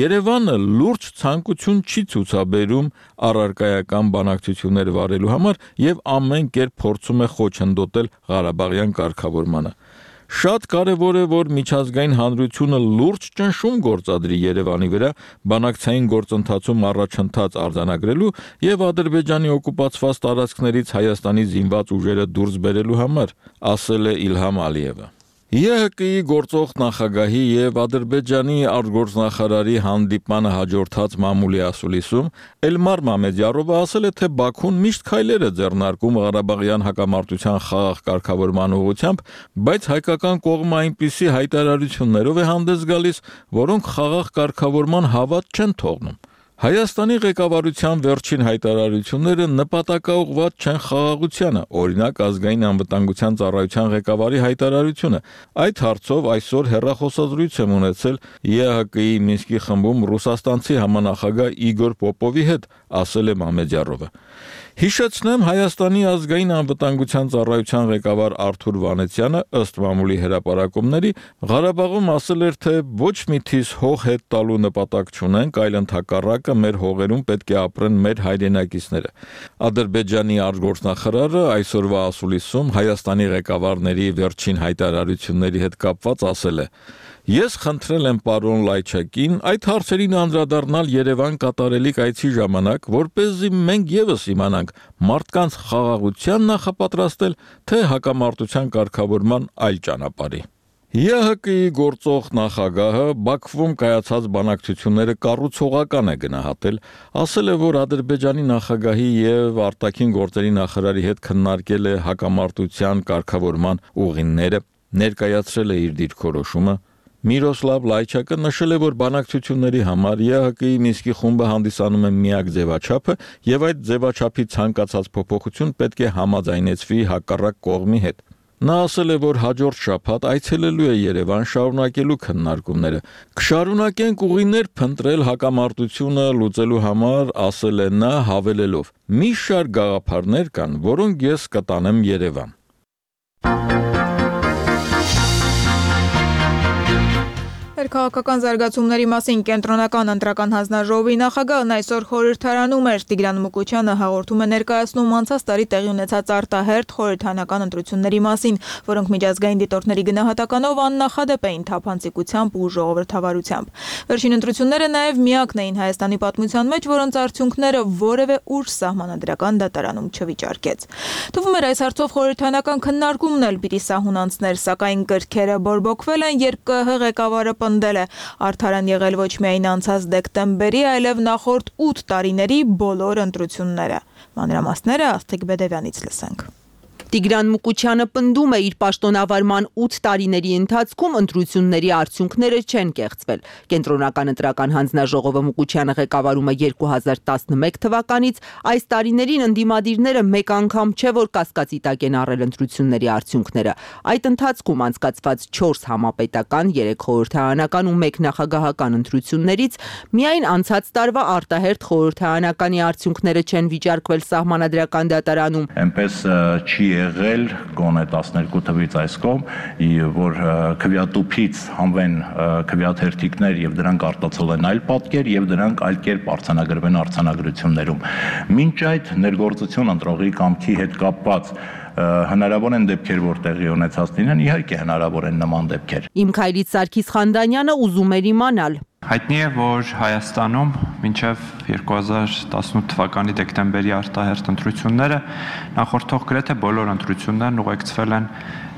Երևանը լուրջ ցանկություն չի ցուցաբերում առարկայական բանակցություններ վարելու համար եւ ամեն կերպ փորձում է խոչընդոտել Ղարաբաղյան կարգավորմանը։ Շատ կարևոր է, որ միջազգային հանրությունը լուրջ ճնշում գործադրի Երևանի վրա բանակցային գործընթացում առաջընթաց արձանագրելու եւ Ադրբեջանի օկուպացված տարածքներից Հայաստանի զինված ուժերը դուրս բերելու համար, ասել է Իլհամ Ալիևը։ ԵԱՀԿ-ի գործող նախագահի եւ Ադրբեջանի արտգործնախարարի հանդիպմանը հաջորդած մամուլի ասուլիսում Էլմար Մամեդյարովը ասել է, թե Բաքուն միշտ քայլեր է ձեռնարկում Ղարաբաղյան հակամարտության խաղաղ կարգավորման ուղղությամբ, բայց հայկական կողմը այնպիսի հայտարարություններով է հանդես գալիս, որոնք խաղաղ կարգավորման հավատ չեն թողնում։ Հայաստանի ղեկավարության վերջին հայտարարությունները նպատակաուղղված չեն խաղաղությանը, օրինակ ազգային անվտանգության ծառայության ղեկավարի հայտարարությունը։ Այդ հարցով այսօր հեռախոսազրույց եմ ունեցել ԵԱՀԿ-ի Մինսկի խմբում ռուսաստանցի համանախագահ Իգոր Պոպովի հետ, ասել է Մամեդյարովը։ Հիշեցնեմ, Հայաստանի ազգային անվտանգության ծառայության ղեկավար Արթուր Վանեցյանը ըստ մամուլի հրապարակումների Ղարաբաղում ասել էր, թե ոչ մի թիզ հող հետ տալու նպատակ չունենք, այլ ընդհակառակը մեր հողերում պետք է ապրեն մեր հայրենակիցները։ Ադրբեջանի արտգործնախարարը այսօրվա ասուլիսում Հայաստանի ղեկավարների վերջին հայտարարությունների հետ կապված ասել է. Ես խնդրել եմ պարոն Լայչակին այդ հարցերին անդրադառնալ Երևան կատարելիք այցի ժամանակ, որպեսզի մենք եւս իմանանք մարդկանց խաղաղության նախապատրաստել, թե հակամարտության կարգավորման այլ ճանապարհի։ ԵԱՀԿ-ի գործող նախագահը Բաքվում կայացած բանակցությունները կառուցողական է գնահատել, ասել է, որ Ադրբեջանի նախագահի եւ արտաքին գործերի նախարարի հետ քննարկել է հակամարտության կարգավորման ուղիները, ներկայացրել է իր դիրքորոշումը։ Միրոսլավ Լայչակը նշել է, որ բանակցությունների համար ԵԱՀԿ-ի Մինսկի խումբը հանդիսանում է միակ ձևաչափը եւ այդ ձևաչափի ցանկացած փոփոխություն պետք է համաձայնեցվի հակառակ կողմի հետ։ Նա ասել է, որ հաջորդ շաբաթ այցելելու է Երևան շարունակելու քննարկումները։ Կշարունակենք ուղիներ փնտրել հակամարտությունը լուծելու համար, ասել է նա, հավելելով. մի շարք գաղափարներ կան, որոնք ես կտանեմ Երևան։ Քաղաքական զարգացումների մասին կենտրոնական ընտրական հանձնաժողովի նախագահն այսօր խորհրդարանում էր։ Տիգրան Մուկուչյանը հաղորդում է ներկայացնում անցած տարի տեղի ունեցած արտահերթ խորհրդարանական ընտրությունների մասին, որոնք միջազգային դիտորդների գնահատականով աննախադեպ էին թափանցիկությամբ ու ժողովրդավարությամբ։ Վերջին ընտրությունները նաև միակն էին Հայաստանի պատմության մեջ, որոնց արդյունքները որևէ ուժ սահմանադրական դատարանում չվիճարկեց։ Թվում էր այս հարցով խորհրդարանական քննարկումն էլ պիտի սահուն անցներ, սակայն կրքերը բորբոքվել են, երբ ԿՀ ղեկավարը պնդել է արդարան եղել ոչ միայն անցած դեկտեմբերի, այլև նախորդ 8 տարիների բոլոր ընտրությունները։ Մանրամասները Աստղիկ Բեդևյանից լսենք։ Տիգրան Մուկուչյանը պնդում է, իր պաշտոնավարման 8 տարիների ընթացքում ընտրությունների արդյունքները չեն կեղծվել։ Կենտրոնական ընտրական հանձնաժողովը Մուկուչյանը ղեկավարում է 2011 թվականից, այս տարիներին ընդդիմադիրները մեկ անգամ չէ որ կասկածի տակ են առել ընտրությունների արդյունքները։ Այդ ընթացքում անցկացված 4 համապետական, 3 խորհրդարանական ու 1 նախագահական ընտրություններից միայն անցած տարվա արտահերթ խորհրդարանականի արդյունքները չեն վիճարկվել սահմանադրական դատարանում։ Այնպես չի եղել գոնե 12 թվից այս կողմ, որ քվեատուփից հանվեն քվեաթերթիկներ եւ դրանք արտացոլեն այլ պատկեր եւ դրանք այլ կերպ արձանագրվեն արձանագրություններում։ Մինչ այդ ներգործություն ընտրողի կամքի հետ կապված հնարավոր են դեպքեր, որ տեղի ունեցած լինեն, իհարկե հնարավոր են նման դեպքեր։ Իմ քայլից Սարգիս Խանդանյանը ուզում էր իմանալ։ Հայտնի է, որ Հայաստանում մինչև 2018 թվականի դեկտեմբերի արտահերթ ընտրությունները նախորդող գրեթե բոլոր ընտրություններն ուղեկցվել են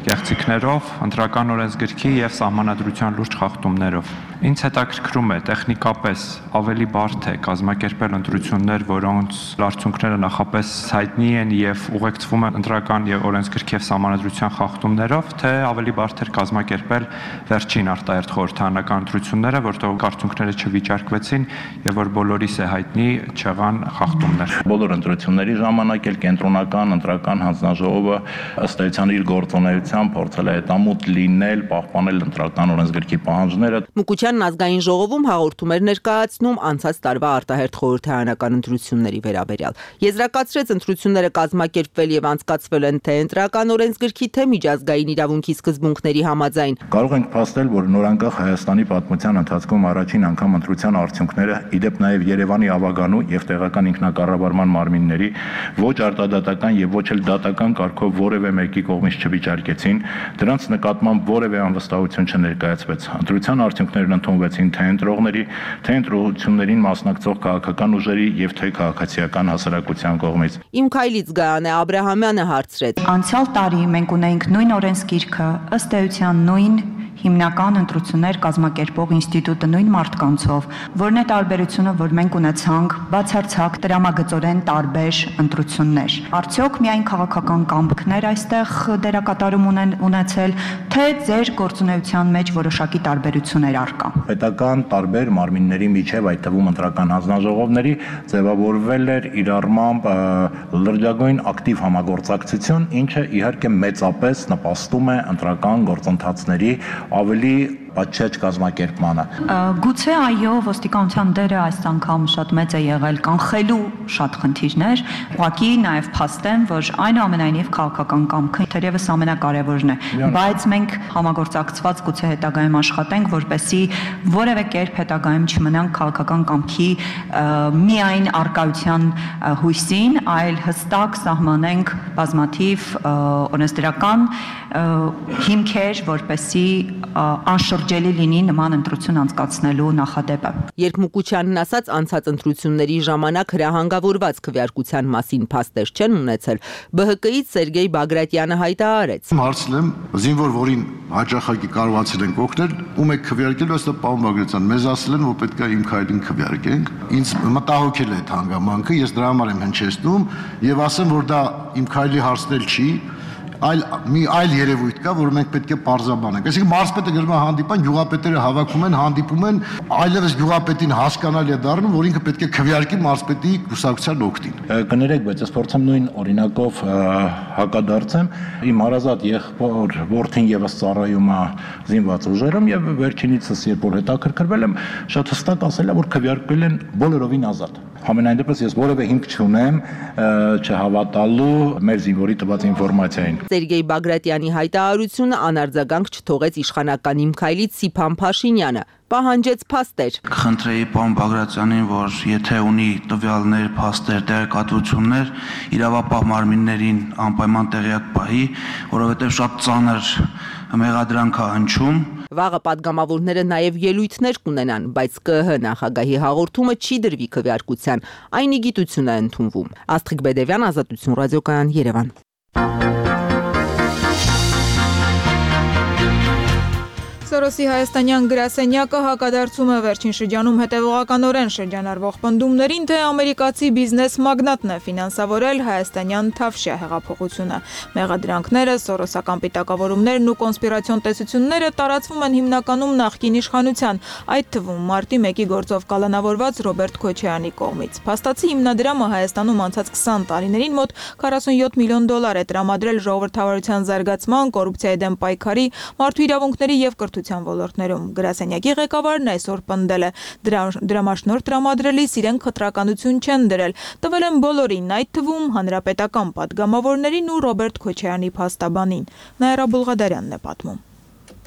կեղծիքներով, ընտրական օրենսգրքի եւ սահմանադրության լուրջ խախտումներով։ Ինձ հետաքրքրում է տեխնիկապես ավելի բարդ է կազմակերպել ընտրություններ, որոնց արդյունքները նախապես հայտնի են եւ ուղեկցվում են ընտրական եւ օրենսգրքի եւ սահմանադրության խախտումներով, թե ավելի բարդ է կազմակերպել վերջին արտահերթ խորհրդարանական ընտրությունները, որտեղ արդյունքները չվիճարկվեցին եւ որ բոլորիս է հայտնի չեղան խախտումներ։ Բոլոր ընտրությունների ժամանակ էլ կենտրոնական ընտրական հանձնաժողովը ըստ էության իր գործունեությամբ փորձել է հետամուտ լինել, պահպանել ընտրական օրենսգրքի պահանջները։ Մուկուչյանն ազգային ժողովում հաղորդում էր ներկայացնում անցած տարվա արտահերթ խորհրդարանական ընտրությունների վերաբերյալ։ Եզրակացրեց ընտրությունները կազմակերպվել եւ անցկացվել են թե ընտրական օրենսգրքի, թե միջազգային իրավունքի սկզբունքների համաձայն։ Կարող ենք փաստել, որ նորանկախ Հայաստանի պատմության ընթացքում առաջին անգամ ընտրության արդյունքները, իդեպ նաեւ Երևանի ավագանու եւ տեղական ինքնակառավարման մարմինների ոչ արտադատական եւ ոչ էլ դատական կարգով որևէ մեկի կողմից չվիճարկեցին, դրանց նկատմամբ որևէ անվստահություն չներկայացվեց։ Ընտրության արդյունքներն ընդունվեցին թե ընտրողների, թե ընտրություններին մասնակցող քաղաքական ուժերի եւ թե քաղաքացիական հասարակության կողմից։ Իմ քայլից Գայանե Աբրահամյանը հարցրեց. Անցյալ տարի մենք ունեինք նույն օրենսգիրքը, ըստ էության նույն հիմնական ընտրություններ կազմակերպող ինստիտուտը նույն մարդկանցով, որն է տարբերությունը, որ մենք ունեցանք բացարձակ տրամագծորեն տարբեր ընտրություններ։ Արդյոք միայն քաղաքական կամքներ այստեղ դերակատարում ունեցել, թե ձեր գործունեության մեջ որոշակի տարբերություններ առկա։ Պետական տարբեր մարմինների միջև, այդ թվում ընտրական հանձնաժողովների, ձևավորվել էր իր առմամբ լրջագույն ակտիվ համագործակցություն, ինչը իհարկե մեծապես նպաստում է ընտրական գործընթացների ավելի պատշաճ կազմակերպմանը։ Գուցե այո, ոստիկանության դերը այս անգամ շատ մեծ է եղել կանխելու շատ խնդիրներ, ուղղակի նաև փաստեմ, որ այնուամենայնիվ քաղաքական կամքը թերևս ամենակարևորն է, բայց մենք համագործակցված գուցե հետագայում աշխատենք, որպեսզի որևէ կերպ հետագայում չմնանք քաղաքական կամքի միայն արկայության հույսին, այլ հստակ սահմանենք բազմաթիվ օրենսդրական հիմքեր, որպեսզի անշրջելի լինի նման ընտրություն անցկացնելու նախադեպը։ Երբ Մուկուչյանն ասաց անցած ընտրությունների ժամանակ հրահանգավորված քվեարկության մասին փաստեր չեն ունեցել, ԲՀԿ-ից Սերգեյ Բագրատյանը հայտարարեց. Հարցնում եմ, զինվոր, որին հաճախակի կարողացել ենք օգնել, ում եք քվեարկելու, ըստ պարոն Բագրատյան, մեզ ասել են, որ պետք է իմ քայլին քվեարկենք։ Ինձ մտահոգել է այդ հանգամանքը, ես դրա համար եմ հնչեցնում եւ ասեմ, որ դա իմ քայլի հարցնել չի, այլ երևույթ կա, որ մենք պետք է պարզաբանենք։ Այսինքն մարզպետը գրում է հանդիպան, գյուղապետերը հավաքում են, հանդիպում են, այլևս գյուղապետին հասկանալի է դառնում, որ ինքը պետք է քվեարկի մարզպետի կուսակցության օգտին։ Կներեք, բայց ես փորձեմ նույն օրինակով հակադարձեմ։ Իմ հարազատ եղբոր որդին եւս ծառայում է զինված ուժերում եւ վերջինիցս երբ որ հետաքրքրվել եմ, շատ հստակ ասել է, որ քվեարկվել են բոլորովին ազատ։ Համենայն դեպս ես որևէ հիմք չունեմ չհավատալու մեր զինվորի տված ինֆորմացիային։ Սերգեյ Բագրատյանի հայտարարությունը անարձագանք չթողեց իշխանական Իմ քայլից Սիփան Փաշինյանը, պահանջեց փաստեր։ Կխնդրեի պարոն Բագրատյանին, որ եթե ունի տվյալներ, փաստեր, տեղեկատվություններ, իրավապահ մարմիններին անպայման տեղյակ պահի, որովհետև շատ ծանր մեղադրանք է հնչում։ Վաղը պատգամավորները նաև ելույթներ կունենան, բայց ԿԸՀ նախագահի հաղորդումը չի դրվի քվեարկության, այն ի գիտություն է ընդունվում։ Աստղիկ Բեդևյան, Ազատություն ռադիոկայան, Երևան։ Սորոսի հայաստանյան գրասենյակը հակադարձում է վերջին շրջանում հետևողականորեն շրջանառվող պնդումներին, թե ամերիկացի բիզնես մագնատն է ֆինանսավորել հայաստանյան Թավշյա հեղափոխությունը։ Մեղադրանքները, սորոսական պիտակավորումներն ու կոնսպիրացիոն տեսությունները տարածվում են հիմնականում նախկին իշխանության, այդ թվում մարտի 1-ի գործով կալանավորված Ռոբերտ Քոչարյանի կողմից։ Փաստացի հիմնադրամը Հայաստանում անցած 20 տարիներին մոտ 47 միլիոն դոլար է տրամադրել ժողովրդավարության զարգացման, կոռուպցիայի դեմ պայքարի, մարդու իրավունքների և կրթության ոլորտներում։ Գրասենյակի ղեկավարն այսօր պնդել է, դրամաշնորհ տրամադրելիս իրենք խտրականություն չեն դրել, տվել են բոլորին, այդ թվում հանրապետական պատգամավորներին ու Ռոբերտ Քոչարյանի փաստաբանին։ Նաիրա Բուլղադարյանն է պատմում։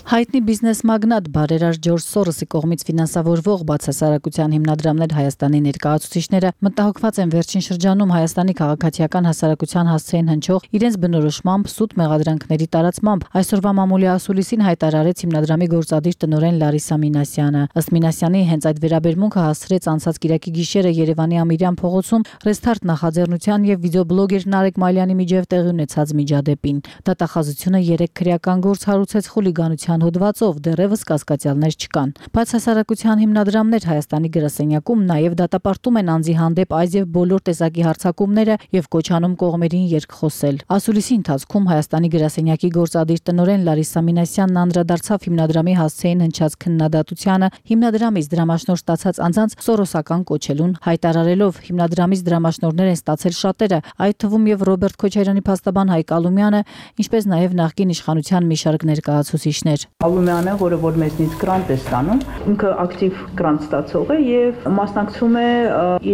Հայտնի բիզնես մագնատ բարերար Ջորջ Սորոսի կողմից ֆինանսավորվող բացասարակության հիմնադրամներ Հայաստանի ներկայացուցիչները մտահոգված են վերջին շրջանում Հայաստանի քաղաքացիական հասարակության հասցեին հնչող իրենց բնորոշմամբ սուտ մեղադրանքների տարածմամբ։ Այսօրվա մամուլի ասուլիսին հայտարարեց հիմնադրամի գործադիր տնօրեն Լարիսա Մինասյանը։ Ըստ Մինասյանի հենց այդ վերաբերմունքը հասցրեց անցած կիրակի գիշերը Երևանի Ամիրյան փողոցում Ռեստարտ նախաձեռնության եւ վիդեոբլոգեր Նարեկ Մալյանի միջև տեղի ունեցած միջադեպին։ Դատախազությունը 3 քրեական գործ հարուցեց խուլիգանության հոդվածով, դեռևս կասկածյալներ չկան։ Բացասարակության հիմնադրամներ Հայաստանի գրասենյակում նաև դատապարտում են անձի հանդեպ այս եւ բոլոր տեսակի հարձակումները եւ կոչանում կողմերին երկխոսել։ Ասուլիսի ընթացքում Հայաստանի գրասենյակի գործադիր տնօրեն Լարիսա Մինասյանն անդրադարձավ հիմնադրամի հասցեին հնչած քննադատությանը, հիմնադրամից դրամաշնորհ ստացած անձանց սորոսական կոչելուն, հայտարարելով հիմնադրամից դրամաշնորհներ են ստացել շատերը, այդ թվում եւ Ռոբերտ Քոչարյանի փաստաբան Հայկ Ալումյանը, ինչպես նաև նախկին իշխանության մի շարք ներկայացուցիչներ։ Ալումյանը, որը որ մեզնից գրանտ է ստանում, ինքը ակտիվ գրանտ ստացող է եւ մասնակցում է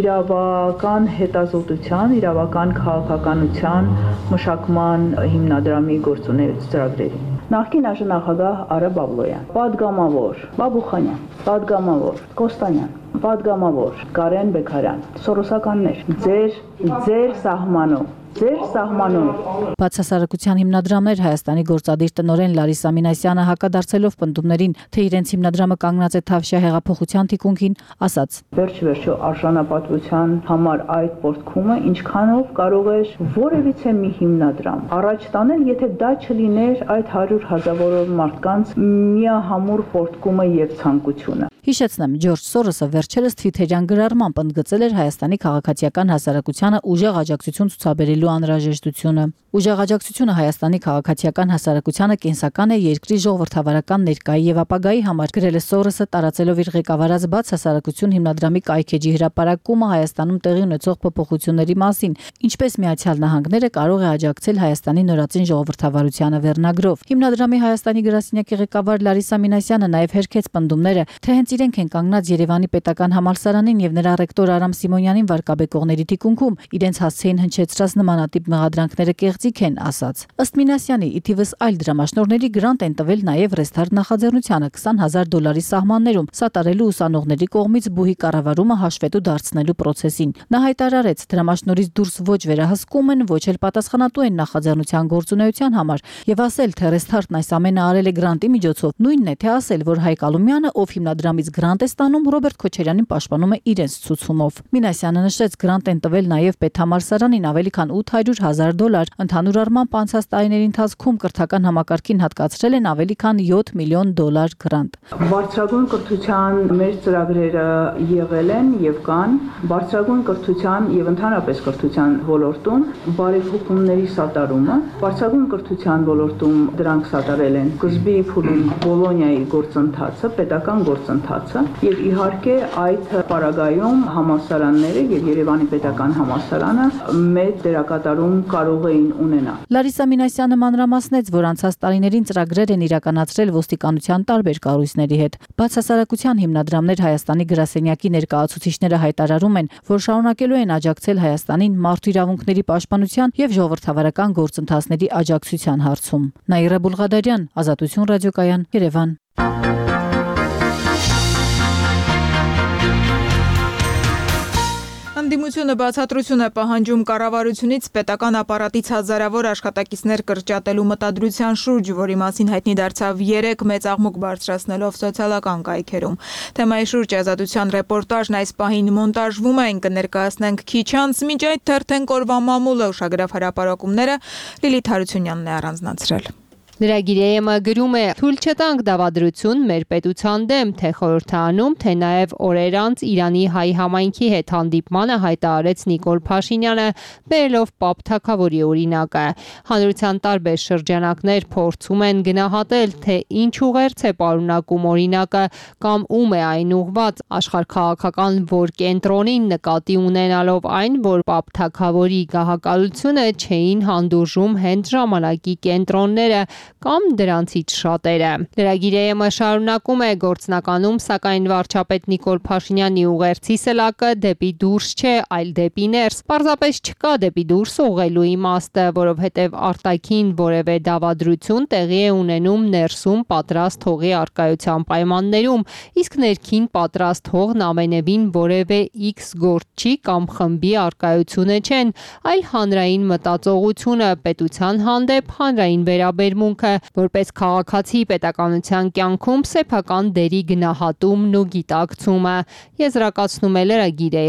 իրավական հետազոտության, իրավական քաղաքականության մշակման հիմնադրամի գործունեության ծրագրերին։ Նախկին ԱԺ Արա Բաբլոյան, падգամավոր Բաբուխանյան, падգամավոր Կոստանյան, падգամավոր Կարեն Բեկարյան, սորոսականներ, ձեր սահմանում Բացասարակության հիմնադրամներ Հայաստանի գործադիր տնօրեն Լարիսա Մինասյանը հակադարձելով պնդումներին, թե իրենց հիմնադրամը կանգնած է Թավշյա հեղափոխության թիկունքին, ասաց. Վերջ-վերջո արժանապատվության համար այդ պորտքումը ինչքանով կարող է որևիցե մի հիմնադրամ առաջ տանել, եթե դա չլիներ այդ 100,000 մարդկանց միահամուռ պորտքումը եւ ցանկությունը։ Հիշեցնեմ, Ջորջ Սորոսը վերջերս Թվիթերյան գրառմամբ ընդգծել էր Հայաստանի քաղաքացիական հասարակությանը ուժեղ աջակցություն ցուցաբերելու անհրաժեշտությունը։ Ուժեղ աջակցությունը Հայաստանի քաղաքացիական հասարակությանը կենսական է երկրի ժողովրդավարական ներկայի եւ ապագայի համար, գրել է Սորոսը, տարածելով իր ղեկավարած Բացասարակություն հիմնադրամի կայքեջի հրապարակումը Հայաստանում տեղի ունեցող փոփոխությունների մասին, ինչպես Միացյալ Նահանգները կարող է աջակցել Հայաստանի նորածին ժողովրդավարությանը վերնագրով։ Հիմնադրամի Հայաստանի գրասենյակի ղեկավար Լարիսա Մինասյանը նաև հերքեց պնդումները, թե հենց իրենք են կանգնած Երևանի պետական համալսարանին եւ նրա ռեկտոր Արամ Սիմոնյանին վարկաբեկողների թիկունքում, իրենց հասցեին հնչեցրած նմանատիպ մեղադրանքները կեղծիք են, ասաց։ Ըստ Մինասյանի, ի թիվս այլ դրամաշնորհների գրանտ են տվել նաև Ռեստարտ նախաձեռնությանը $20,000 սահմաններում սատարելու ուսանողների կողմից բուհի կառավարումը հաշվետու դարձնելու process-ին։ Նա հայտարարեց, դրամաշնորհից դուրս ոչ վերահսկում են, ոչ էլ պատասխանատու են նախաձեռնության գործունեության համար եւ ասել, թե Ռեստարտն այս ամենը արել է գրանտի միջոցով, նույնն է, թե ասել, որ Հայկ Ալումյանը, ով հիմնադրամից գրանտ է ստանում, Ռոբերտ Քոչարյանին պաշտպանում է իրենց ցուցումով։ Մինասյանը նշեց, գրանտ են տվել նաև պետհամալսարանին ավելի քան $800,000, ընդհանուր առմամբ անցած տարիների ընթացքում կրթական համակարգին հատկացրել են ավելի քան $7 միլիոն գրանտ։ Բարձրագույն կրթության մեր ծրագրերը եղել են եւ կան բարձրագույն կրթության եւ ընդհանրապես կրթության ոլորտում բարեփոխումների սատարումը, բարձրագույն կրթության ոլորտում դրանք սատարել են սկզբի փուլում Բոլոնիայի գործընթացը, պետական գործընթացը եւ իհարկե այդ պարագայում համալսարանները եւ Երևանի պետական համալսարանը մեծ դերակատարում կարող էին ունենալ։ Լարիսա Մինասյանը մանրամասնեց, որ անցած տարիներին ծրագրեր են իրականացրել ոստիկանության տարբեր կառույցների հետ։ Բացասարակության հիմնադրամներ Հայաստանի գրասենյակի ներկայացուցիչները հայտարարում են, որ շարունակելու են աջակցել Հայաստանին մարդու իրավունքների պաշտպանության եւ ժողովրդավարական գործընթացների աջակցության հարցում։ Նաիրա Բուլղադարյան, Ազատություն ռադիոկայան, Երևան։ Ընդդիմությունը բացատրություն է պահանջում կառավարությունից պետական ապարատից հազարավոր աշխատակիցներ կրճատելու մտադրության շուրջ, որի մասին հայտնի դարձավ 3 մեծ աղմուկ բարձրացնելով սոցիալական կայքերում։ Թեմայի շուրջ Ազատության ռեպորտաժն այս պահին մոնտաժվում է, կներկայացնենք քիչ անց, մինչ այդ թերթենք օրվա մամուլը ուշագրավ հրապարակումները Լիլիթ Հարությունյանն է առանձնացրել։ Լրագիրը գրում է. «Թույլ չտանք դավադրություն մեր պետության դեմ, թե խորհրդարանում, թե նաև օրեր անց Իրանի հայ համայնքի հետ հանդիպմանը հայտարարեց Նիկոլ Փաշինյանը, բերելով Պապ Թագավորի օրինակը։ Հանրության տարբեր շրջանակներ փորձում են գնահատել, թե ինչ ուղերձ է պարունակում օրինակը կամ ում է այն ուղված, աշխարհաքաղաքական որ կենտրոնին նկատի ունենալով այն, որ Պապ Թագավորի գահակալությունը չէին հանդուրժում հենց ժամանակի կենտրոնները կամ դրանցից շատերը։ Լրագիրը շարունակում է. գործնականում, սակայն վարչապետ Նիկոլ Փաշինյանի ուղերձի սլակը դեպի դուրս չէ, այլ դեպի ներս։ Պարզապես չկա դեպի դուրս ուղղելու իմաստը, որովհետև արտաքին որևէ դավադրություն տեղի է ունենում ներսում պատրաստ հողի առկայության պայմաններում, իսկ ներքին պատրաստ հողն ամենևին որևէ X գործչի կամ խմբի առկայությունը չեն, այլ հանրային մտածողությունը, պետության հանդեպ հանրային վերաբերմունք, որպես քաղաքացի պետականության կյանքում սեփական դերի գնահատումն ու գիտակցումը, եզրակացնում է լրագիրը։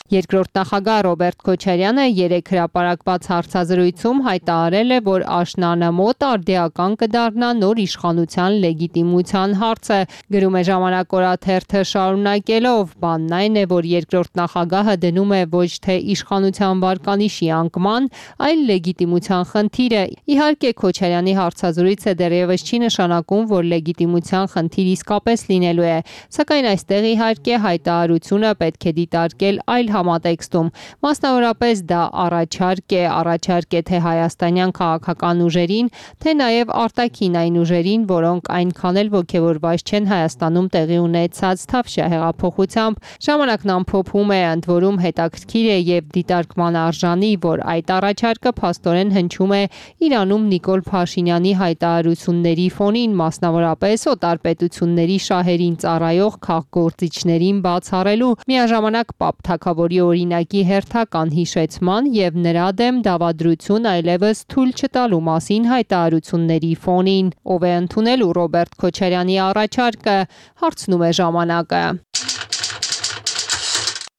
Երկրորդ նախագահ Ռոբերտ Քոչարյանը երեկ հրապարակված հարցազրույցում հայտարարել է, որ աշնանը մոտ արդիական կդառնա նոր իշխանության լեգիտիմության հարցը։ Գրում է Ժամանակ օրաթերթը շարունակելով. բանն այն է, որ երկրորդ նախագահը դնում է ոչ թե իշխանության վարկանիշի անկման, այլ լեգիտիմության խնդիրը։ Իհարկե Քոչարյանի հարցազրույցը դեռևս չի նշանակում, որ լեգիտիմության խնդիր իսկապես լինելու է, սակայն այստեղ իհարկե հայտարարությունը պետք է դիտարկել այլ համատեքստում, մասնավորապես դա առաջարկ է թե հայաստանյան քաղաքական ուժերին, թե նաև արտաքին այն ուժերին, որոնք այնքան էլ ոգևորված չեն Հայաստանում տեղի ունեցած Թավշյա հեղափոխությամբ։ Ժամանակն ամփոփում է, ընդ որում հետաքրքիր է եւ դիտարկման արժանի, որ այդ առաջարկը փաստորեն հնչում է Իրանում Նիկոլ Փաշինյանի հայտարարությունների ֆոնին, մասնավորապես օտարպետությունների շահերին ծառայող քաղգործիչներին բացառելու, միաժամանակ Պապ Թագավորի օրինակի հերթական հիշեցման եւ նրա դեմ դավադրություն այլևս թույլ չտալու մասին հայտարարությունների ֆոնին։ Ով է ընդունելու Ռոբերտ Քոչարյանի առաջարկը, հարցնում է ժամանակը։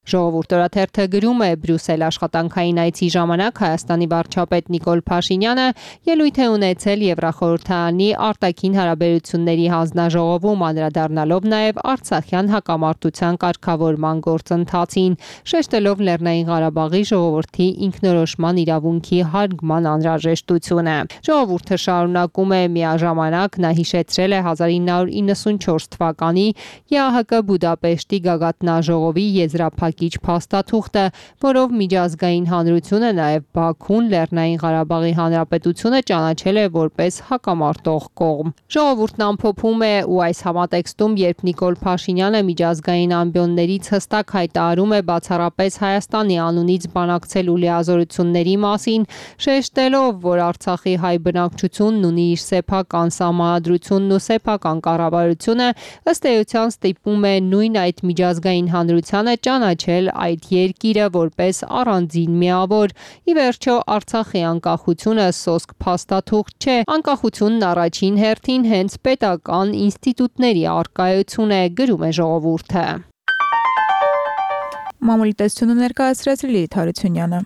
Ժողովուրդ օրաթերթը գրում է. Բրյուսել աշխատանքային այցի ժամանակ Հայաստանի վարչապետ Նիկոլ Փաշինյանը ելույթ է ունեցել Եվրախորհրդարանի արտաքին հարաբերությունների հանձնաժողովում, անդրադառնալով նաև Արցախյան հակամարտության կարգավորման գործընթացին, շեշտելով Լեռնային Ղարաբաղի ժողովրդի ինքնորոշման իրավունքի հարգման անհրաժեշտությունը։ Ժողովուրդը շարունակում է. միաժամանակ նա հիշեցրել է 1994 թվականի ԵԱՀԿ Բուդապեշտի գագաթնաժողովի եզրափակ փաստաթուղթը, որով միջազգային հանրությունը, նաև Բաքուն Լեռնային Ղարաբաղի Հանրապետությունը ճանաչել է որպես հակամարտող կողմ։ Ժողովուրդն ամփոփում է, ու այս համատեքստում, երբ Նիկոլ Փաշինյանը միջազգային ամբիոններից հստակ հայտարարում է բացառապես Հայաստանի անունից բանակցել ու լիազորությունների մասին, շեշտելով, որ Արցախի հայ բնակչությունն ունի իր սեփական սահմանադրությունն ու սեփական կառավարությունը, ըստ էության ստիպում է նույն այդ միջազգային հանրությանը ճանաչել այդ երկիրը որպես առանձին միավոր։ Ի վերջո Արցախի անկախությունը սոսկ փաստաթուղթ չէ, անկախությունն առաջին հերթին հենց պետական ինստիտուտների առկայություն է, գրում է ժողովուրդը։ Մամուլի տեսությունը ներկայացրեց Լիլիթ Հարությունյանը։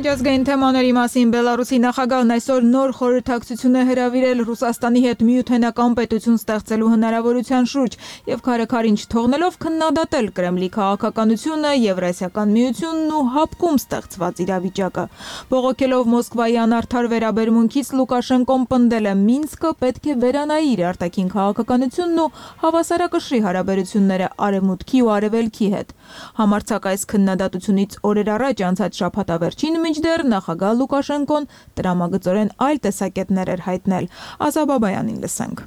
Միջազգային թեմաների մասին Բելարուսի նախագահն այսօր նոր խորհրդակցություն է հրավիրել Ռուսաստանի հետ միութենական պետություն ստեղծելու հնարավորության շուրջ եւ քարեքարին չթողնելով քննադատել Կրեմլի քաղաքականությունը, Եվրասիական միությունն ու հապկում ստեղծված իրավիճակը։ Բողոքելով Մոսկվայի անարդար վերաբերմունքից Լուկաշենկոն պնդել է Մինսկը պետք է վերանայի իր արտաքին քաղաքականությունն ու հավասարակշռի հարաբերությունները Արևմուտքի ու Արևելքի հետ։ Համարձակ այս քննադատությունից օրեր առաջ անցած շաբաթավերջին մինչդեռ նախագահ Լուկաշենկոն տրամագծորեն այլ տեսակետներ էր հայտնել։ Ազաբաբայանին լսենք։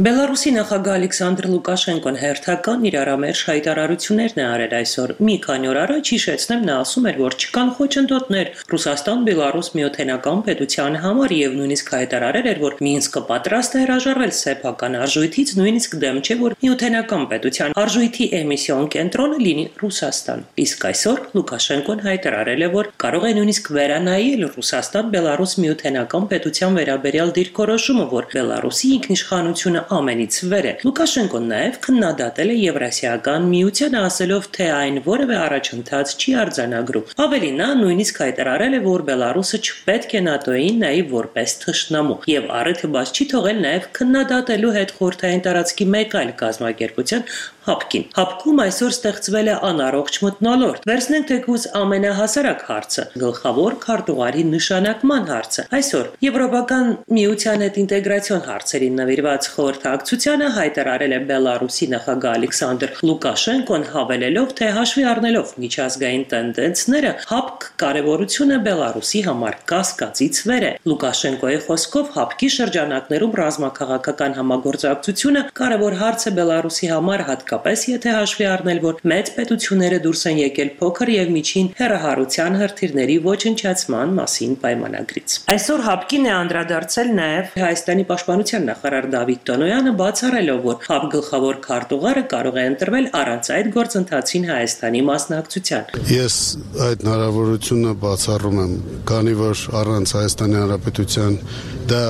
Բելարուսի նախագահ Ալեքսանդր Լուկաշենկոն հերթական իրարամերժ հայտարարություններ է արել այսօր։ Մի քանի օր առաջ հիշեցնեմ, նա ասում էր, որ չկան խոչընդոտներ Ռուսաստան-Բելարուս միութենական պետության համար եւ նույնիսկ հայտարարել էր, որ Մինսկը պատրաստ է հրաժարվել սեփական արժույթից, նույնիսկ դեմ չէ, որ միութենական պետության արժույթի էմիսիոն կենտրոնը լինի Ռուսաստան։ Իսկ այսօր Լուկաշենկոն հայտարարել է, որ կարող է նույնիսկ վերանայել Ռուսաստան-Բելարուս միութենական պետության վերաբերյալ դիրքորոշումը, որ Բելարուսի ինքնիշխանությունը ամենից վեր է։ Լուկաշենկոն նաև քննադատել է Եվրասիական միությանը, ասելով, թե այն որևէ առաջընթաց չի արձանագրում։ Ավելի նա նույնիսկ հայտարարել է, որ Բելարուսը չպետք է ՆԱՏՕ-ին նայի որպես թշնամու եւ առիթը բաց չի թողել նաև քննադատելու հետ խորհրդային տարածքի մեկ այլ կազմակերպության ՀԱՊԿ-ին։ ՀԱՊԿ-ում այսօր ստեղծվել է անառողջ մթնոլորտ։ Վերցնենք թեկուզ ամենահասարակ հարցը՝ գլխավոր քարտուղարի նշանակման հարցը։ Այսօր Եվրոպական միության հետ ինտեգրացիոն հարցերին նվիրված խորհրդակցությանը հայտարարել է Բելարուսի նախագահ Ալեքսանդր Լուկաշենկոն, հավելելով, թե հաշվի առնելով միջազգային տենդենսները, ՀԱՊԿ կարևորությունը Բելարուսի համար կասկածից վեր է։ Լուկաշենկոյի խոսքով ՀԱՊԿ-ի շրջանակներում ռազմաքաղաքական համագործակցությունը կարևոր հարց է Բելարուսի համար, հատկապես եթե հաշվի առնել, որ մեծ պետությունները դուրս են եկել փոքր եւ միջին հեռահարության հրթիռների ոչնչացման մասին պայմանագրից։ Այսօր ՀԱՊԿ-ին է անդրադարձել նաեւ Հայաստանի պաշտպանության նախարար Դավիթ Տոնոյանը, բացառելով, որ ՀԱՊԿ գլխավոր քարտուղարը կարող է ընտրվել առանց այդ գործընթացին Հայաստանի մասնակցության։ Ես այդ հնարավորությունը բացառում եմ, քանի որ առանց Հայաստանի Հանրապետության դա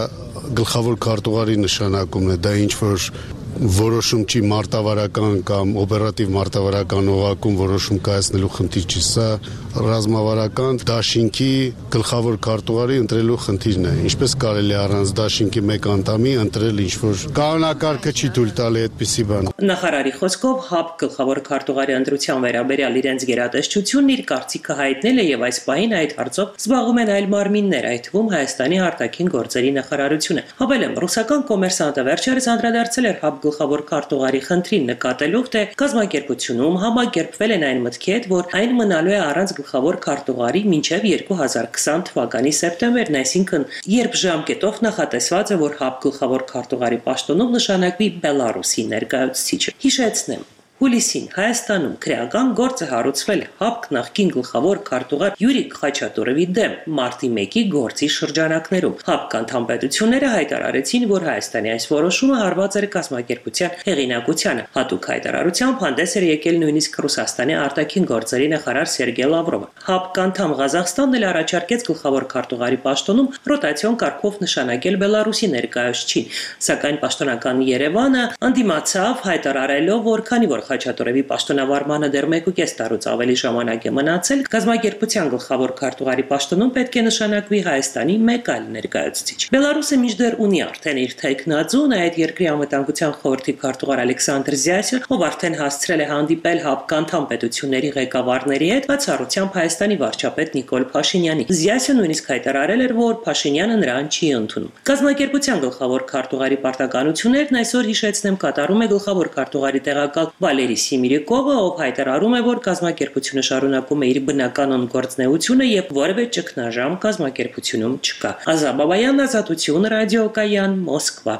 գլխավոր քարտուղարի նշանակումն է, դա ինչ որ որոշում չի մարտավարական կամ օպերատիվ մարտավարական օղակում որոշում կայացնելու խնդիր չի, սա ռազմավարական դաշինքի գլխավոր քարտուղարի ընտրելու խնդիրն է։ Ինչպես կարելի է առանց դաշինքի մեկ անդամի ընտրել ինչ-որ կանոնակարգը չի թույլ տալի այդպիսի բան։ Նախարարի խոսքով ՀԱՊԿ գլխավոր քարտուղարի ընտրության վերաբերյալ իրենց գերատեսչությունն իր կարծիքը հայտնել է եւ այս պահին այդ հարցով զբաղվում են այլ մարմիններ, այդ թվում Հայաստանի արտաքին գործերի նախարարությունը։ Հավելեմ, ռուսական կոմերսանտը վերջերս անդրադարձել էր ՀԱՊԿ գլխավոր քարտուղարի խնդրին, նկատելով, թե կազմակերպությունում համակերպվել են այն մտքի հետ, որ այն մնալու է առանց գլխավոր քարտուղարի մինչև 2020 թվականի սեպտեմբերն, այսինքն երբ ժամկետով նախատեսված է, որ ՀԱՊԿ գլխավոր քարտուղարի պաշտոնում նշանակվի Բելարուսի ներկայացուցիչը։ Հիշեցնեմ, հուլիսին Հայաստանում քրեական գործ է հարուցվել ՀԱՊԿ նախկին գլխավոր քարտուղար Յուրիկ Խաչատուրովի դեմ մարտի 1-ի գործի շրջանակներում։ ՀԱՊԿ անդամ պետությունները հայտարարեցին, որ Հայաստանի այս որոշումը հարված էր կազմակերպության հեղինակությանը։ Հատուկ հայտարարությամբ հանդես էր եկել նույնիսկ Ռուսաստանի արտաքին գործերի նախարար Սերգեյ Լավրովը։ ՀԱՊԿ անդամ Ղազախստանն էլ առաջարկեց գլխավոր քարտուղարի պաշտոնում ռոտացիոն կարգով նշանակել Բելարուսի ներկայացուցիչին, սակայն պաշտոնական Երևանը անդիմացավ, հայտարարելով, որ քանի որ Խաչատուրովի պաշտոնավարմանը դեռ 1.5 տարուց ավելի ժամանակ է մնացել, կազմակերպության գլխավոր քարտուղարի պաշտոնում պետք է նշանակվի Հայաստանի մեկ այլ ներկայացուցիչ։ Բելարուսը մինչդեռ ունի արդեն իր թեկնածուն, այդ երկրի անվտանգության խորհրդի քարտուղար Ալեքսանդր Զյասյանը, ով արդեն հասցրել է հանդիպել ՀԱՊԿ անդամ պետությունների ղեկավարների հետ, բացառությամբ Հայաստանի վարչապետ Նիկոլ Փաշինյանի։ Զյասյանը նույնիսկ հայտարարել էր, որ Փաշինյանը նրան չի ընդունում։ Կազմակերպության գլխավոր քարտուղարի պարտականություններն այսօր, հիշեցնեմ, կատարում է գլխավոր քարտուղարի տեղակալ Վալերի Սիմիրիկովը, ով հայտարարում է, որ կազմակերպությունը շարունակում է իր բնականոն գործունեությունը եւ որևէ ճգնաժամ կազմակերպությունում չկա։ Ազա Բաբայան, Ազատություն, ռադիոկայան, Մոսկվա։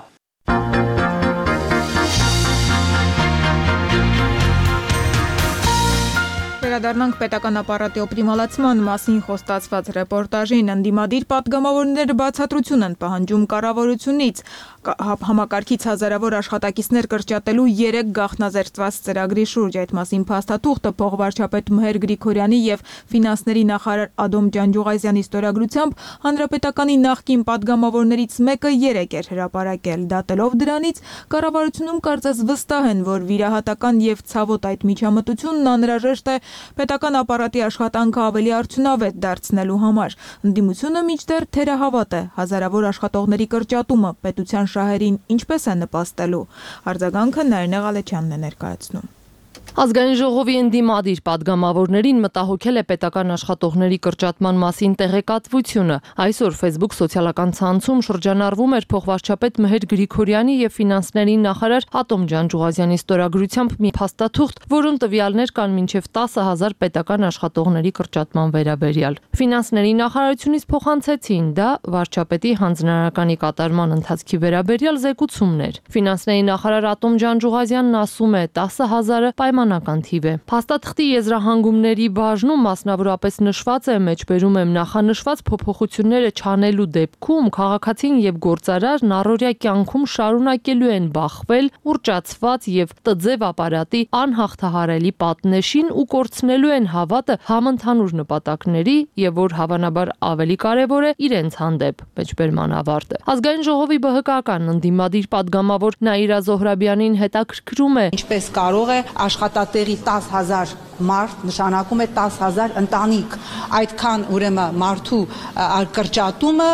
Վերադառնանք պետական ապարատի օպտիմալացման մասին խոստացված ռեպորտաժին։ Ընդդիմադիր պատգամավորները բացատրություն են պահանջում կառավարությունից համակարգից հազարավոր աշխատակիցներ կրճատելու 3 գաղտնազերծված ծրագրի շուրջ։ Այդ մասին փաստաթուղթը փոխվարչապետ Մհեր Գրիգորյանի եւ ֆինանսների նախարար Ադոմ Ջանջուղազյանի ստորագրությամբ հանրապետականի նախկին պատգամավորներից մեկը 3 էր հրապարակել։ Դատելով դրանից, կառավարությունում կարծես վստահ են, որ վիրահատական եւ ցավոտ այդ միջամտությունն անհրաժեշտ է պետական ապարատի աշխատանքը ավելի արդյունավետ դարձնելու համար։ Ընդդիմությունը մինչդեռ թերահավատ է հազարավոր աշխատողների կրճատումը պետության շահերին ինչպես է նպաստելու։ Արձագանքը Նարինե Ղալեչյանն է ներկայացնում։ Ազգային ժողովի ընդդիմադիր պատգամավորներին մտահոգել է պետական աշխատողների կրճատման մասին տեղեկատվությունը։ Այսօր Facebook սոցիալական ցանցում շրջանառվում էր փոխվարչապետ Մհեր Գրիգորյանի եւ ֆինանսների նախարար Ադոմ Ջանջուղազյանի ստորագրությամբ մի փաստաթուղթ, որում տվյալներ կան մինչեւ 10,000 պետական աշխատողների կրճատման վերաբերյալ։ Ֆինանսների նախարարությունից փոխանցեցին դա վարչապետի հանձնարարականի կատարման ընթացքի վերաբերյալ զեկուցումներ։ Ֆինանսների նախարար Ադոմ Ջանջուղազյանն ասում է 10,000-ը սահմանական թիվ է։ Փաստաթղթի եզրահանգումների բաժնում մասնավորապես նշված է, մեջբերում եմ, նախանշված փոփոխությունները չանելու դեպքում քաղաքացին եւ գործարարն առօրյա կյանքում շարունակելու են բախվել ուռճացված եւ տձև ապարատի անհաղթահարելի պատնեշին ու կորցնելու են հավատը համընդհանուր նպատակների եւ որ հավանաբար ավելի կարեւոր է իրենց հանդեպ։ Մեջբերման ավարտը։ Ազգային ժողովի ԲՀԿ-ական ընդդիմադիր падգամավոր Նաիրա Զոհրաբյանին հետաքրքրում է ինչպես կարող է աշխատատեղի 10,000 մարդ նշանակում է 10,000 ընտանիք, այդքան ուրեմն մարդու կրճատումը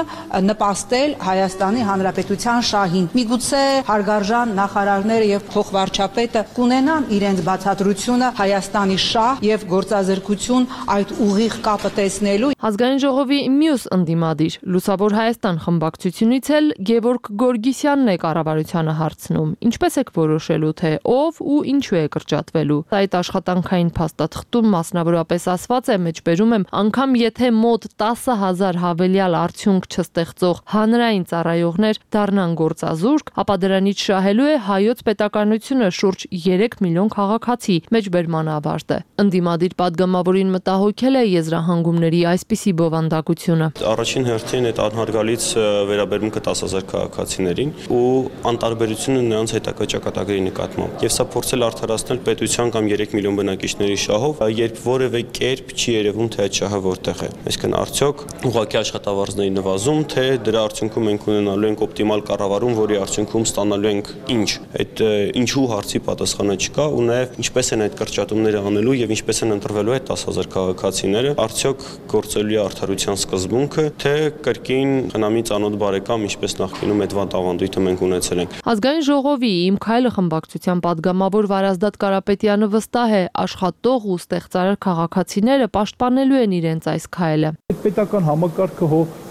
նպաստել Հայաստանի Հանրապետության շահին։ Միգուցե հարգարժան նախարարները եւ փոխվարչապետը կունենան իրենց բացատրությունը Հայաստանի շահ եւ գործազրկություն այդ ուղիղ կապը տեսնելու։ Ազգային ժողովի մյուս ընդդիմադիր Լուսավոր Հայաստան խմբակցությունից էլ Գևորգ Գորգիսյանն է կառավարությանը հարցնում. ինչպես եք որոշելու, թե ով ու ինչու է կրճատվելու։ Այդ աշխատանքային փաստաթղթում մասնավորապես ասված է, մեջբերում եմ, անգամ եթե մոտ 10,000 հավելյալ արդյունք չստեղծող հանրային ծառայողներ դառնան գործազուրկ, ապա դրանից շահելու է հայոց պետականությունը շուրջ 3 միլիոն քաղաքացի։ Մեջբերման ավարտը։ Ընդդիմադիր падգամավորին մտահոգել է եզրահանգումների այսպիսի բովանդակությունը։ Առաջին հերթին այդ անհարգալից վերաբերմունքը 10,000 քաղաքացիներին ու անտարբերությունը նրանց հետագա ճակատագրի նկատմամբ։ Եվ սա փորձել արդարացնել պետության կամ 3 միլիոն բնակիչների շահով, երբ որևէ կերպ չի երևում, թե այդ շահը որտեղ է։ Այսինքն արդյոք ուղղակի աշխատավարձների նվազում, թե դրա արդյունքում մենք ունենալու ենք օպտիմալ կառավարում, որի արդյունքում ստանալու ենք ինչ։ Այդ ինչու հարցի պատասխանը չկա ու նաև ինչպես են այդ կրճատումները անելու եւ ինչպես են ընտրվելու այդ 10,000 քաղաքացիները, արդյոք գործելու է արդարության սկզբունքը, թե կրկին խնամի ծանոթ բարեկամ, ինչպես նախկինում այդ վատ ավանդույթը մենք ունեցել ենք։ Ազգային ժողովի Իմ քայլը խմբակցության падգամավոր Վարազդատ Կարապետյանը վստահ է, աշխատող ու ստեղծարար քաղաքացիները պաշտպանելու են իրենց այս քայլը։ Պետական համակարգը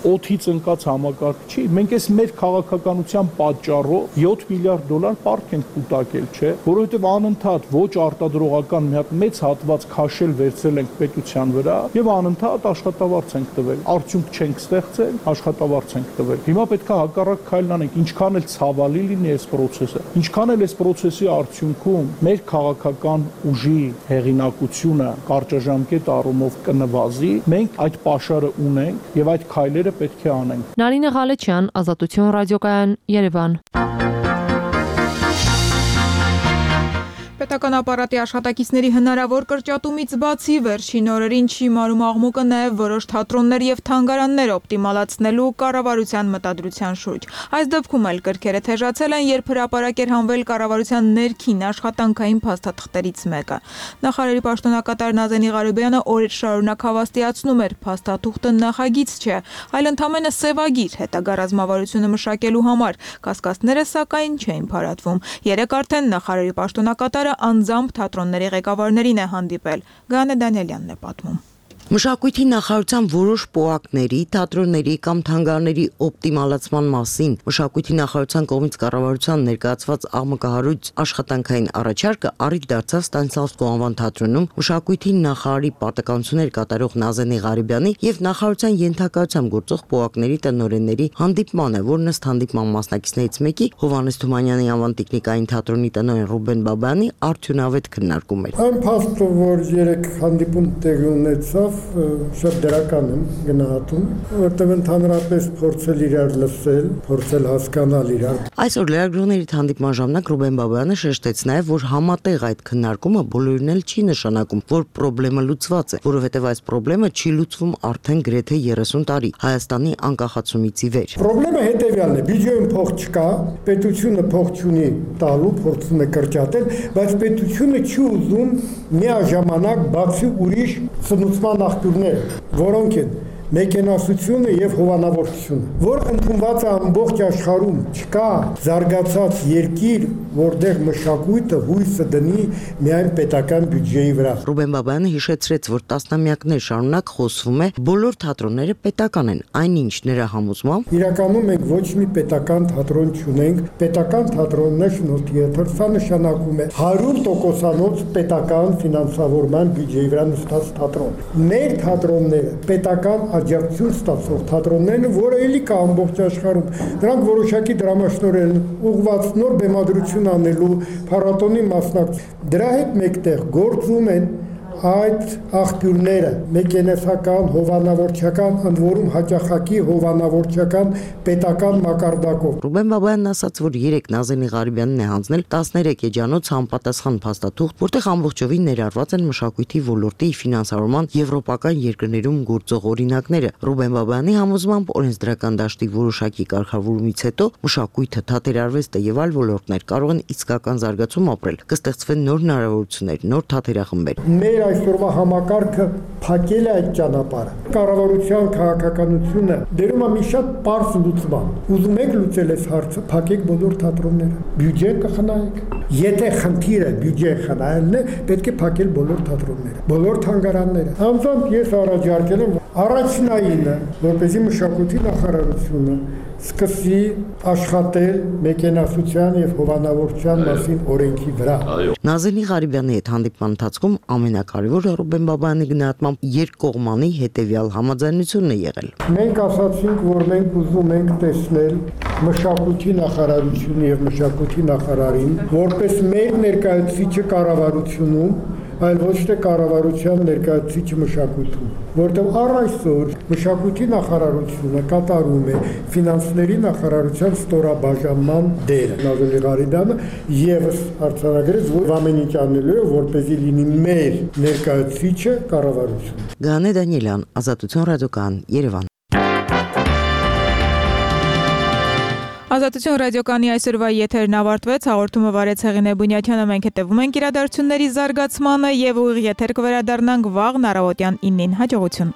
օդից ընկած համակարգ չի։ Մենք այս մեր քաղաքականության պատճառով 7 միլիարդ դոլար պարտք ենք կուտակել, չէ՞, որովհետև անընդհատ ոչ արտադրողական մի հատ մեծ հատված քաշել վերցրել ենք պետության վրա եւ անընդհատ աշխատավարձ ենք տվել։ Արդյունք չենք ստեղծել, աշխատավարձ ենք տվել։ Հիմա պետք է հակառակ քայլն անենք, ինչքան էլ ցավալի լինի այս process-ը, ինչքան էլ այս process-ի արդյունքում մեր քաղաքական ուժի հեղինակությունը կարճաժամկետ առումով կնվազի, մենք այդ պաշարը ունենք եւ այդ քայլերը պետք է անենք։ Նարինե Ղալեչյան, Ազատություն ռադիոկայան, Երևան։ Պետական ապարատի աշխատակիցների հնարավոր կրճատումից բացի վերջին օրերին չի մարում աղմուկը նաև որոշ թատրոններ եւ թանգարաններ օպտիմալացնելու կառավարության մտադրության շուրջ։ Այս դեպքում էլ կրքերը թեժացել են, երբ հրապարակ էր հանվել կառավարության ներքին աշխատանքային փաստաթղթերից մեկը։ Նախարարի պաշտոնակատար Նազենի Ղարոբյանը օրեր շարունակ հավաստիացնում էր, փաստաթուղթը նախագիծ չէ, այլ ընդամենը սևագիր հետագա ռազմավարությունը մշակելու համար։ Կասկածները սակայն չէին փարատվում։ Երեկ արդեն նախարարի պաշտոնակատարը անձամբ թատրոնների ղեկավարներին է հանդիպել։ Գայանե Դանիելյանն է պատմում։ Մշակույթի նախարարության որոշ պոակների, թատրոնների կամ թանգարանների օպտիմալացման մասին Մշակույթի նախարարության կողմից կառավարության ներկայացված աղմկահարույց աշխատանքային առաջարկը առիթ դարձավ Ստանիսլավսկու անվան թատրոնում Մշակույթի նախարարի պարտականություններ կատարող Նազենի Ղարոբյանի եւ նախարարության ենթակայությամբ գործող պոակների տնօրենների հանդիպմանը, որն ըստ հանդիպման մասնակիցներից մեկի Հովհաննես Թումանյանի անվան տեխնիկային թատրոնի տնօրեն Ռուբեն Բաբայանի արդյունավետ քննարկում էր։ Այն փաստը, որ երեք հանդիպում տեղի ունեցավ, շատ դրական եմ գնահատում, որտեղ ընդհանրապես փորձել իրար լսել, փորձել հասկանալ իրար։ Այսօր լրագրողների հանդիպման ժամանակ Ռուբեն Բաբայանը շեշտեց նաև, որ համատեղ այդ քննարկումը բոլորին էլ չի նշանակում, որ խնդրը լուծված է, որովհետև այս խնդրը չի լուծվում արդեն գրեթե 30 տարի Հայաստանի անկախացումից ի վեր։ Խնդրը հետևյալն է՝ բյուջեում փող չկա, պետությունը փող չունի տալու, փորձում է կրճատել, բայց պետությունը չի ուզում միաժամանակ բացի ուրիշ սնուցման աղբյուրներ, որոնք են մեքենասությունը եւ հովանավորությունը, որ ընդունված է ամբողջ աշխարհում, չկա զարգացած երկիր, որտեղ մշակույթը հույսը դնի միայն պետական բյուջեի վրա։ Ռուբեն Բաբայանը հիշեցրեց, որ տասնամյակներ շարունակ խոսվում է, բոլոր թատրոնները պետական են, այնինչ նրա համոզմամբ իրականում մենք ոչ մի պետական թատրոն չունենք, պետական թատրոնն է շնորհիաթ, սա նշանակում է 100%-անոց պետական ֆինանսավորման բյուջեի վրա նստած թատրոն։ Մեր թատրոնները պետական աջակցություն ստացող թատրոններն, որը էլի կա ամբողջ աշխարհում, դրանք որոշակի դրամաշնորհ են ուղղված նոր բեմադրություն անելու, փառատոնի մասնակցելու։ Դրա հետ մեկտեղ գործում են այդ աղբյուրները մեքենեսական, հովանավորչական, ընդ որում հաճախակի հովանավորչական պետական մակարդակով։ Ռուբեն Բաբայանն ասաց, որ 3 Նազենի Ղարիբյանն է հանձնել 13 էջանոց համապատասխան փաստաթուղթ, որտեղ ամբողջովին ներառված են մշակույթի ոլորտի ֆինանսավորման եվրոպական երկրներում գործող օրինակները։ Ռուբեն Բաբայանի համոզմամբ օրենսդրական դաշտի որոշակի կարգավորումից հետո մշակույթը, թատերարվեստը եւ այլ ոլորտներ կարող են իսկական զարգացում ապրել, կստեղծվեն նոր հնարավորություններ, նոր թատերախմբեր։ Այսօրվա համակարգը փակել է այդ ճանապարհը։ Կառավարության քաղաքականությունը դերում է մի շատ պարզ լուծման։ Ուզում եք լուծել այս հարցը, փակեք բոլոր թատրոնները։ Բյուջե կխնայեք։ Եթե խնդիրը բյուջե խնայելն է, պետք է փակել բոլոր թատրոնները, բոլոր թանգարանները։ Անձամբ ես առաջարկել եմ առաջնայինը, որպեսզի մշակույթի նախարարությունը սկսի աշխատել մեքենասության եւ հովանավորչության մասին օրենքի վրա։ Նազենի Ղարիբյանի հետ հանդիպման ընթացքում ամենակարևորը Ռուբեն Բաբայանի գնահատմամբ երկկողմանի հետեւյալ համաձայնությունն է եղել։ Մենք ասացինք, որ մենք ուզում ենք տեսնել մշակույթի նախարարությունը եւ մշակույթի նախարարին որպես մեր ներկայացուցիչը կառավարությունում, այլ ոչ թե կառավարության ներկայացուցիչը մշակույթում, որտեղ առ այսօր մշակույթի նախարարությունը կատարում է ֆինանսների նախարարության ստորաբաժանման դերը։ Նազենի Ղարիբյանը եւս արձանագրեց, որ ամեն ինչ անելու է, որպեսզի լինի մեր ներկայացուցիչը կառավարություն։ Գանե Դանիելյան, Ազատություն ռադիոկայան, Երևան։ Ազատություն ռադիոկանի այսօրվա եթերն ավարտվեց, հաղորդումը վարեց Հեղինե Բունյաթյանը, մենք հետևում ենք իրադարձությունների զարգացմանը եւ ուղիղ եթեր կվերադառնանք վաղ առավոտյան 9-ին։ Հաջողություն։